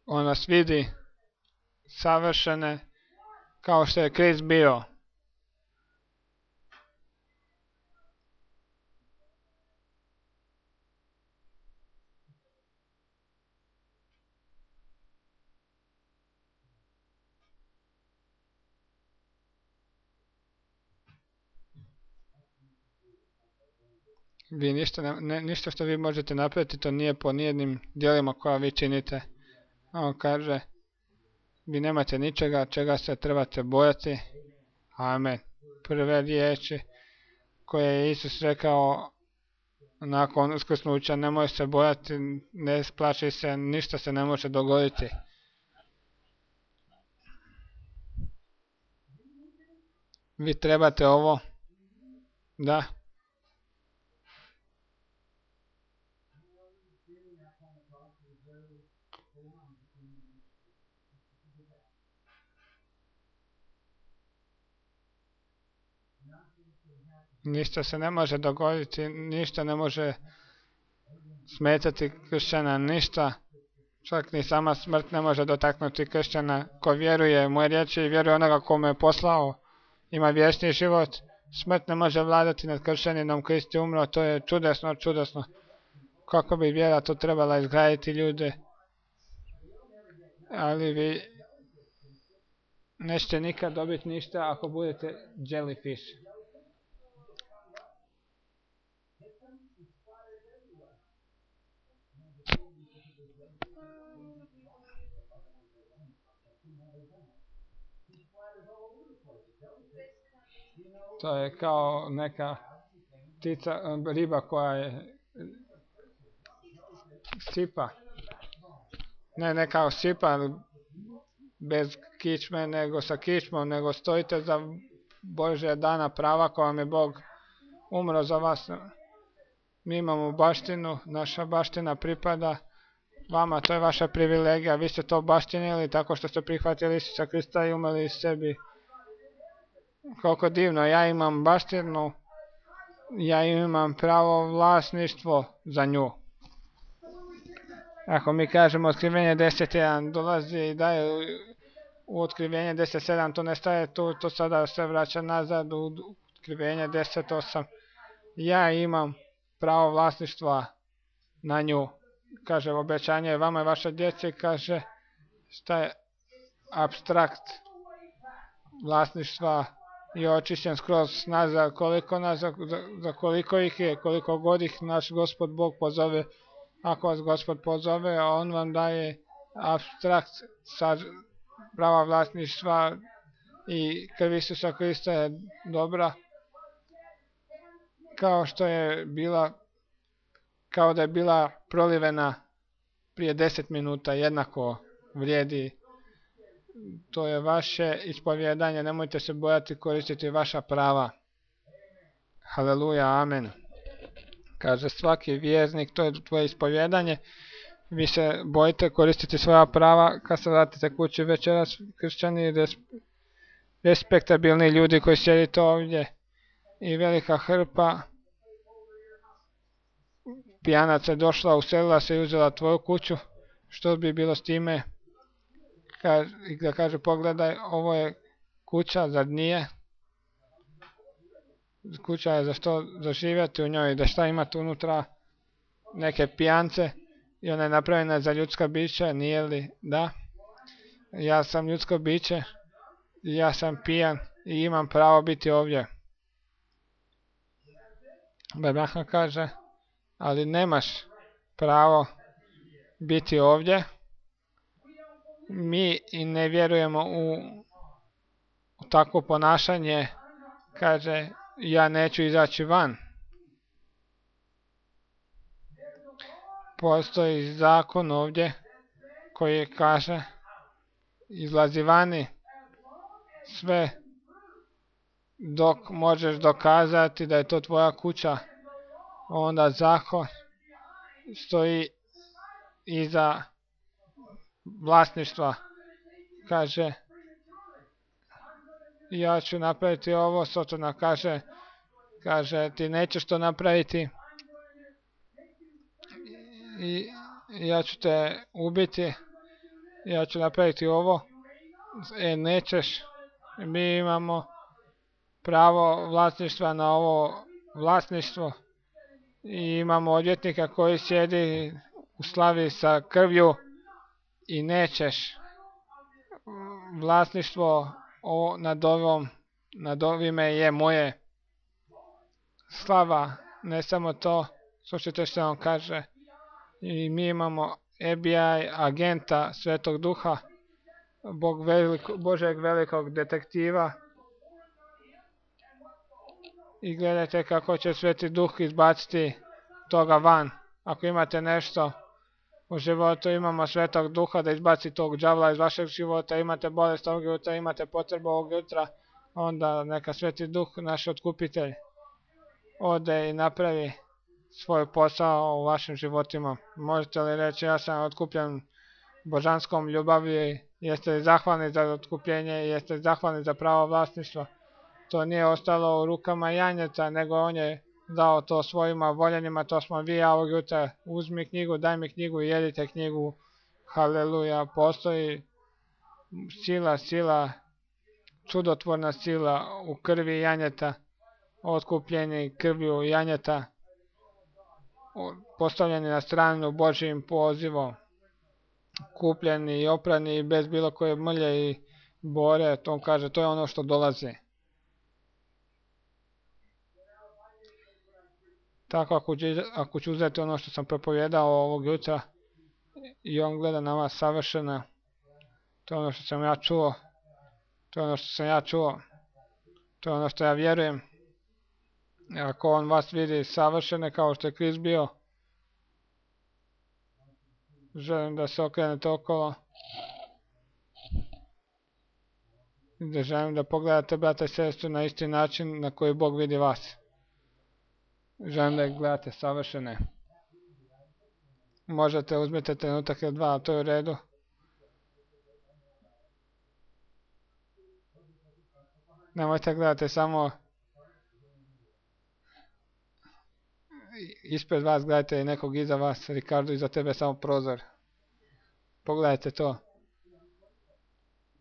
A: On nas vidi savršene kao što je Krist bio. Vi ništa što vi možete napraviti, to nije po nijednim djelima koja vi činite. On kaže, vi nemate ničega čega se trebate bojati. Amen. Prve riječi koje je Isus rekao nakon uskrsnuća, nemoj se bojati, ne plaši se, ništa se ne može dogoditi. Vi trebate ovo, da. Ništa se ne može dogoditi, ništa ne može smetati kršćana, ništa. Čak ni sama smrt ne može dotaknuti kršćana. Ko vjeruje moje riječi i vjeruje onoga ko me je poslao, ima vječni život. Smrt ne može vladati nad kršćaninom, Krist je umro, to je čudesno, čudesno. Kako bi vjera to trebala izgraditi ljude. Ali vi nećete nikad dobiti ništa ako budete jellyfish. To je kao neka ptica, riba koja je sipa. Ne kao sipa, bez kičme, nego sa kičmom, nego stojite za Božja dana prava koja vam je Bog umro za vas. Mi imamo baštinu, naša baština pripada vama, to je vaša privilegija. Vi ste to baštinili tako što ste prihvatili Isusa Krista i umrli sebi. Koliko divno, ja imam baštinu, ja imam pravo vlasništvo za nju. Ako mi kažemo otkrivenje 10.1 dolazi i daje u otkrivenje 10.7, to ne staje tu, to sada se vraća nazad u otkrivenje 10.8. Ja imam pravo vlasništva na nju. Kaže obećanje vama i vaša djeci, kaže šta je apstrakt vlasništva i očišćen skroz nazad, za koliko ih je, koliko god ih naš Gospod Bog pozove. Ako vas Gospod pozove, on vam daje apstrakt prava vlasništva i krv Isusa Krista je dobra, kao da je bila prolivena prije 10 minuta, jednako vrijedi. To je vaše ispovjedanje, nemojte se bojati koristiti vaša prava. Haleluja, amen. Kaže svaki vjernik, to je tvoje ispovjedanje, vi se bojite koristiti svoja prava kad se vratite kući večeras, kršćani, respektabilni ljudi koji sjedite ovdje i velika hrpa pijanaca je došla, uselila se i uzela tvoju kuću, što bi bilo s time? Da kaže pogledaj, ovo je kuća, zar nije? Kuća je za što zaživjeti u njoj, da šta imate unutra, neke pijance i ona je napravljena za ljudska bića, nije li? Da. Ja sam ljudsko biće, ja sam pijan i imam pravo biti ovdje. Abraham kaže, ali nemaš pravo biti ovdje. Mi i ne vjerujemo u takvo ponašanje, kaže, ja neću izaći van. Postoji zakon ovdje koji kaže izlazi vani, sve dok možeš dokazati da je to tvoja kuća, onda zakon stoji iza vlasništva. Kaže, ja ću napraviti ovo, Sotona kaže ti nećeš to napraviti i ja ću te ubiti, ja ću napraviti ovo, nećeš. Mi imamo pravo vlasništva na ovo vlasništvo i imamo odvjetnika koji sjedi u slavi sa krvlju i nećeš. Vlasništvo nad ovime je moje. Slava, ne samo to, slušajte što on kaže, i mi imamo FBI agenta Svetog Duha, Božeg velikog detektiva, i gledajte kako će Sveti Duh izbaciti toga van. Ako imate nešto u životu, imamo Svetog Duha da izbaci tog đavla iz vašeg života, imate bolest ovog jutra, imate potrebu ovog jutra, onda neka Sveti Duh, naš otkupitelj, ode i napravi svoj posao u vašim životima. Možete li reći, ja sam otkupljen božanskom ljubavlju, jeste li zahvalni za otkupljenje, jeste li zahvalni za pravo vlasništva? To nije ostalo u rukama janjeta, nego on je dao to svojima voljenima, to smo vi, a ovog jutra uzmi knjigu, daj mi knjigu i jedite knjigu. Haleluja, postoji sila, čudotvorna sila u krvi janjeta, otkupljeni krvju janjeta, postavljeni na stranu Božjim pozivom, kupljeni i oprani bez bilo koje mrlje i bore, to on kaže, to je ono što dolazi. Tako ako ću uzeti ono što sam propovjedao ovog jutra i on gleda na vas savršena, to je ono što sam ja čuo, to je ono što ja vjerujem. Ako on vas vidi savršene kao što je Krist bio, želim da se okrenete okolo i da želim da pogledate brata i sestru na isti način na koji Bog vidi vas. Želim da ih gledate savršene. Možete uzmite trenutak ili dva, to je u redu. Nemojte gledati samo ispred vas, gledajte i nekog iza vas. Ricardo, iza tebe samo prozor. Pogledajte to.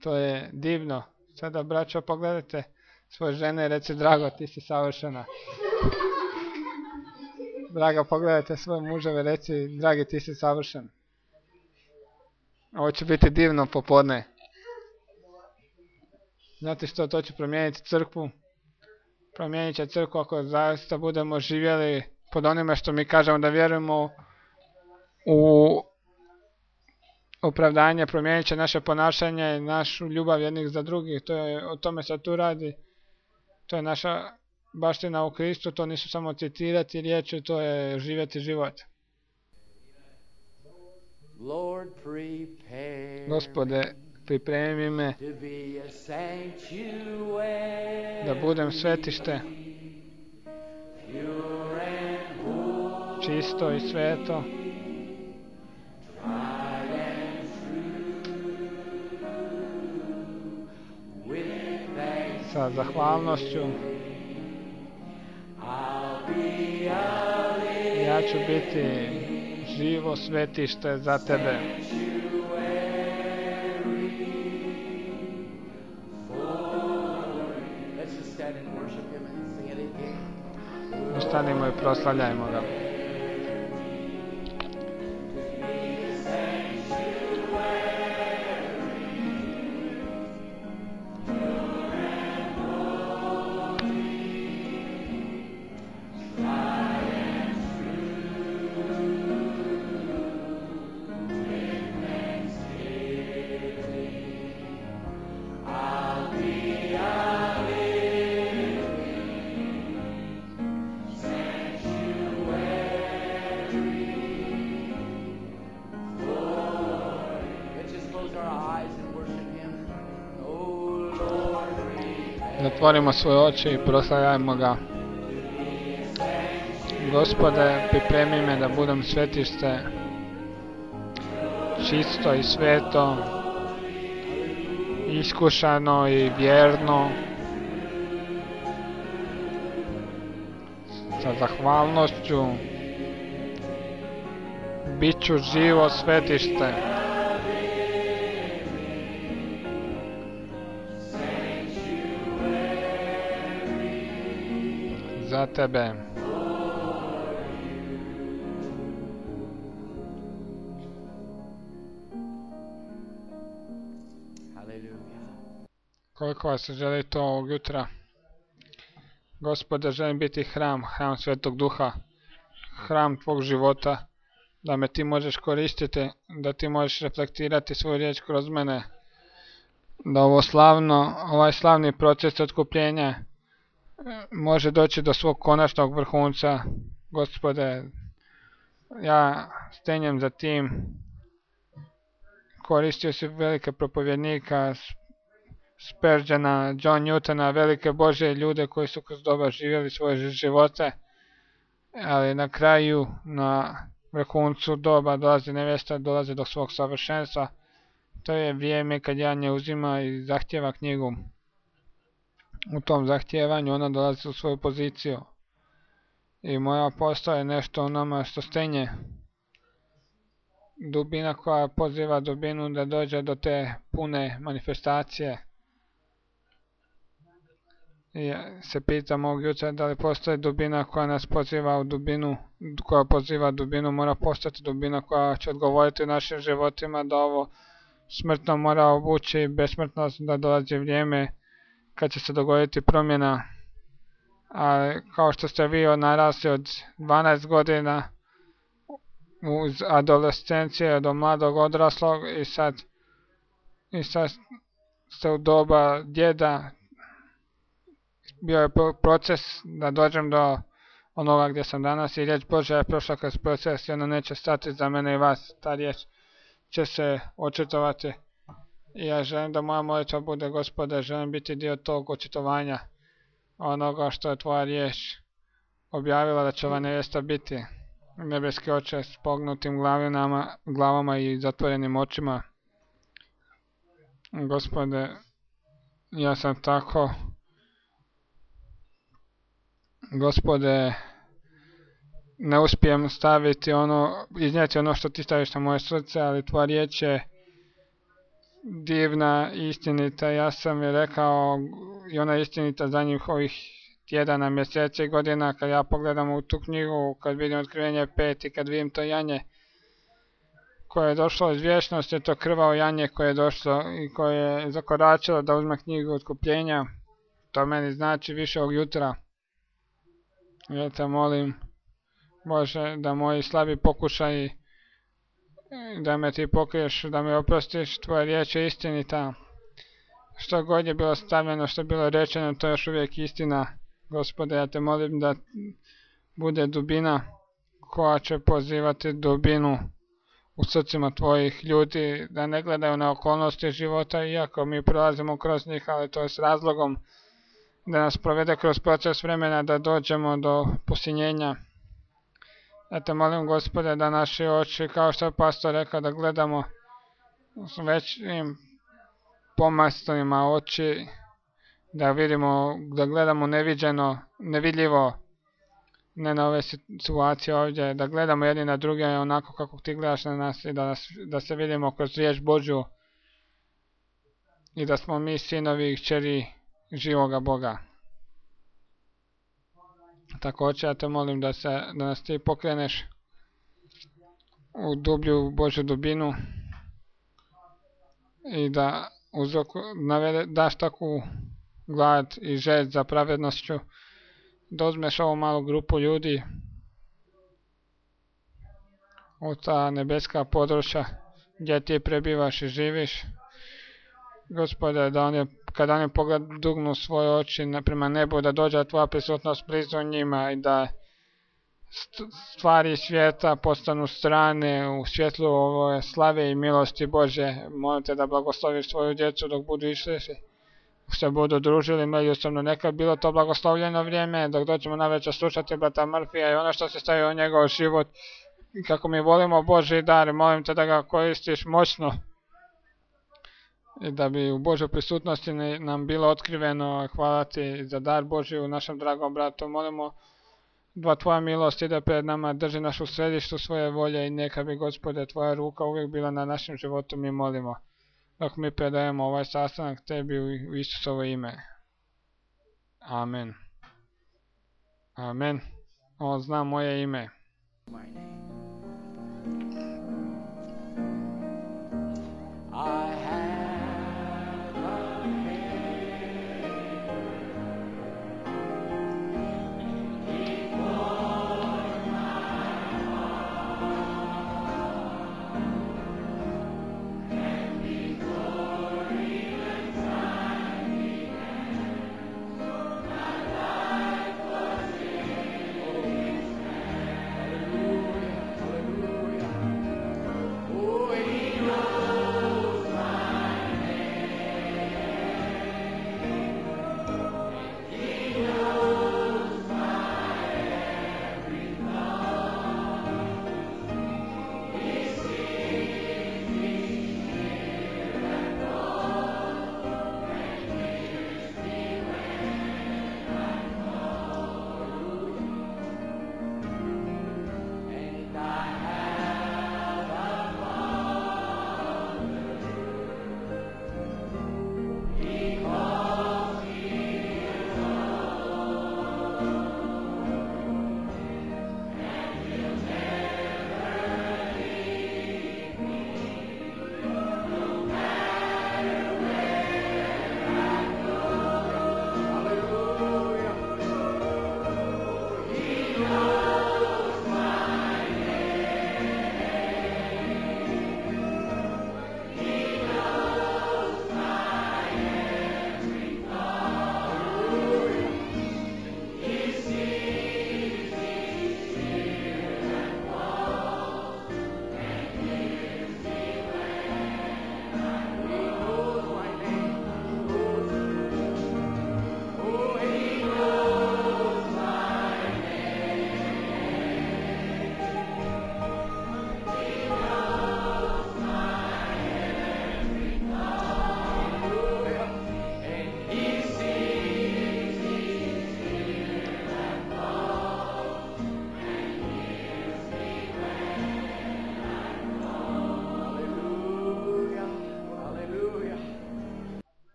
A: To je divno. Sada, braćo, pogledajte svoje žene i reci, drago, ti si savršena. Draga, pogledajte svoje muževe, reci, dragi, ti si savršen. Ovo će biti divno popodne. Znate što, to će promijeniti crkvu. Promijenit će crkvu ako zaista budemo živjeli pod onime što mi kažemo da vjerujemo u opravdanje, promijenit će naše ponašanje i našu ljubav jednih za drugih. O tome se tu radi. To je naša baština u Kristu, to nisu samo citirati riječi, to je živjeti život. Gospode, pripremi me da budem svetište, čisto i sveto, sa zahvalnošću. Ja ću biti živo svetište za tebe. Ustanimo i proslavljajmo ga.
B: Sanctuary.
A: Zatvorimo svoje oči i proslavljajmo ga. Gospode, pripremi me da budem svetište, čisto i sveto, iskušano i vjerno, sa zahvalnošću, bit ću živo svetište. Za tebe. Koliko vas želi to ovog jutra? Gospode, želim biti hram Svetog Duha, hram tvog života, da me ti možeš koristiti, da ti možeš reflektirati svoju riječ kroz mene, da ovaj slavni proces otkupljenja može doći do svog konačnog vrhunca. Gospode, ja stenjem za tim. Koristio si velike propovjednika, Spurgeona, John Newtona, velike Božje ljude koji su kroz doba živjeli svoje živote, ali na kraju, na vrhuncu doba dolazi nevjesta, dolazi do svog savršenstva. To je vrijeme kad Jan uzima i zahtjeva knjigu. U tom zahtijevanju ona dolazi u svoju poziciju. I moja postoje nešto u nama što stenje. Dubina koja poziva dubinu da dođe do te pune manifestacije. I se pitam ovog jutra da li postoji dubina koja nas poziva u dubinu, koja poziva dubinu, mora postati dubina koja će odgovoriti u našim životima da ovo smrtno mora obući besmrtnost, da dolazi vrijeme kad će se dogoditi promjena. A kao što ste vi narasli od 12 godina uz adolescencije do mladog odraslog i sad ste u doba djeda, bio je proces da dođem do onoga gdje sam danas i riječ Božja je prošla kroz proces i ona neće stati za mene i vas. Ta riječ će se očitovati i ja želim da moja molitva bude: Gospode, želim biti dio tog očitovanja onoga što je tvoja riječ objavila da će ova nevjesta biti. Nebeski Oče, s pognutim glavama i zatvorenim očima. Gospode, ja sam tako. Gospode, ne uspijem iznijeti ono što ti staviš na moje srce, ali tvoja riječ je divna i istinita. Ja sam je rekao i ona je istinita za njih ovih tjedana, mjeseci i godina. Kad ja pogledam u tu knjigu, kad vidim Otkrivenje 5 i kad vidim to janje koje je došlo iz vječnosti, to krvavo janje koje je došlo i koje je zakoračilo da uzme knjigu otkupljenja, to meni znači više ovog jutra. Ja te molim, Bože, da moji slabi pokušaji, da me ti pokriješ, da me oprostiš, tvoja riječ je istinita. Što god je bilo stavljeno, što je bilo rečeno, to je još uvijek istina. Gospode, ja te molim da bude dubina koja će pozivati dubinu u srcima tvojih ljudi, da ne gledaju na okolnosti života, iako mi prolazimo kroz njih, ali to je s razlogom, da nas provede kroz proces vremena, da dođemo do posinjenja. Ja te molim, Gospode, da naši oči, kao što je pastor rekao, da gledamo s većim pomastima oči, da gledamo neviđeno, nevidljivo, ne na ove situacije ovdje, da gledamo jedni na druge onako kako ti gledaš na nas i da se vidimo kroz riječ Božju i da smo mi sinovi i kćeri živoga Boga. Također ja te molim da nas ti pokreneš u dublju Božju dubinu i da daš takvu glad i želj za pravednošću, da uzmeš ovu malu grupu ljudi u ta nebeska područja gdje ti prebivaš i živiš. Gospode, da kada oni dugnu svoje oči prema nebu, da dođe tvoja prisutnost blizu njima i da stvari svijeta postanu strane u svjetlu ove slave i milosti Bože. Molim te da blagosloviš svoju djecu dok budu išli se budu družili međusobno. Neka bilo to blagoslovljeno vrijeme dok doćemo navečer slušati brata Murphyja i ono što se staje u njegov život. I kako mi volimo Božji dar, molim te da ga koristiš moćno i da bi u Božoj prisutnosti nam bilo otkriveno. Hvala ti za dar Božji u našem dragom bratu. Molimo da tvoja milost ide pred nama, drži našu u središtu svoje volje i neka bi, Gospode, tvoja ruka uvijek bila na našem životu, mi molimo. Dok mi predajemo ovaj sastanak tebi u Isusovo ime. Amen. Amen. On zna moje ime.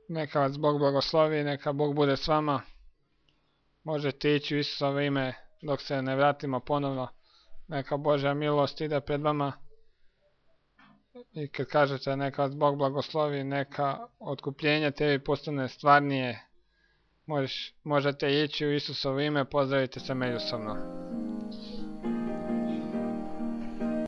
A: Neka vas Bog blagoslovi, neka Bog bude s vama. Možete ići u Isusovo ime dok se ne vratimo ponovno. Neka Božja milost ide pred vama. I kad kažete neka vas Bog blagoslovi, neka otkupljenje tebi postane stvarnije. Možete ići u Isusovo ime, pozdravite se međusobno.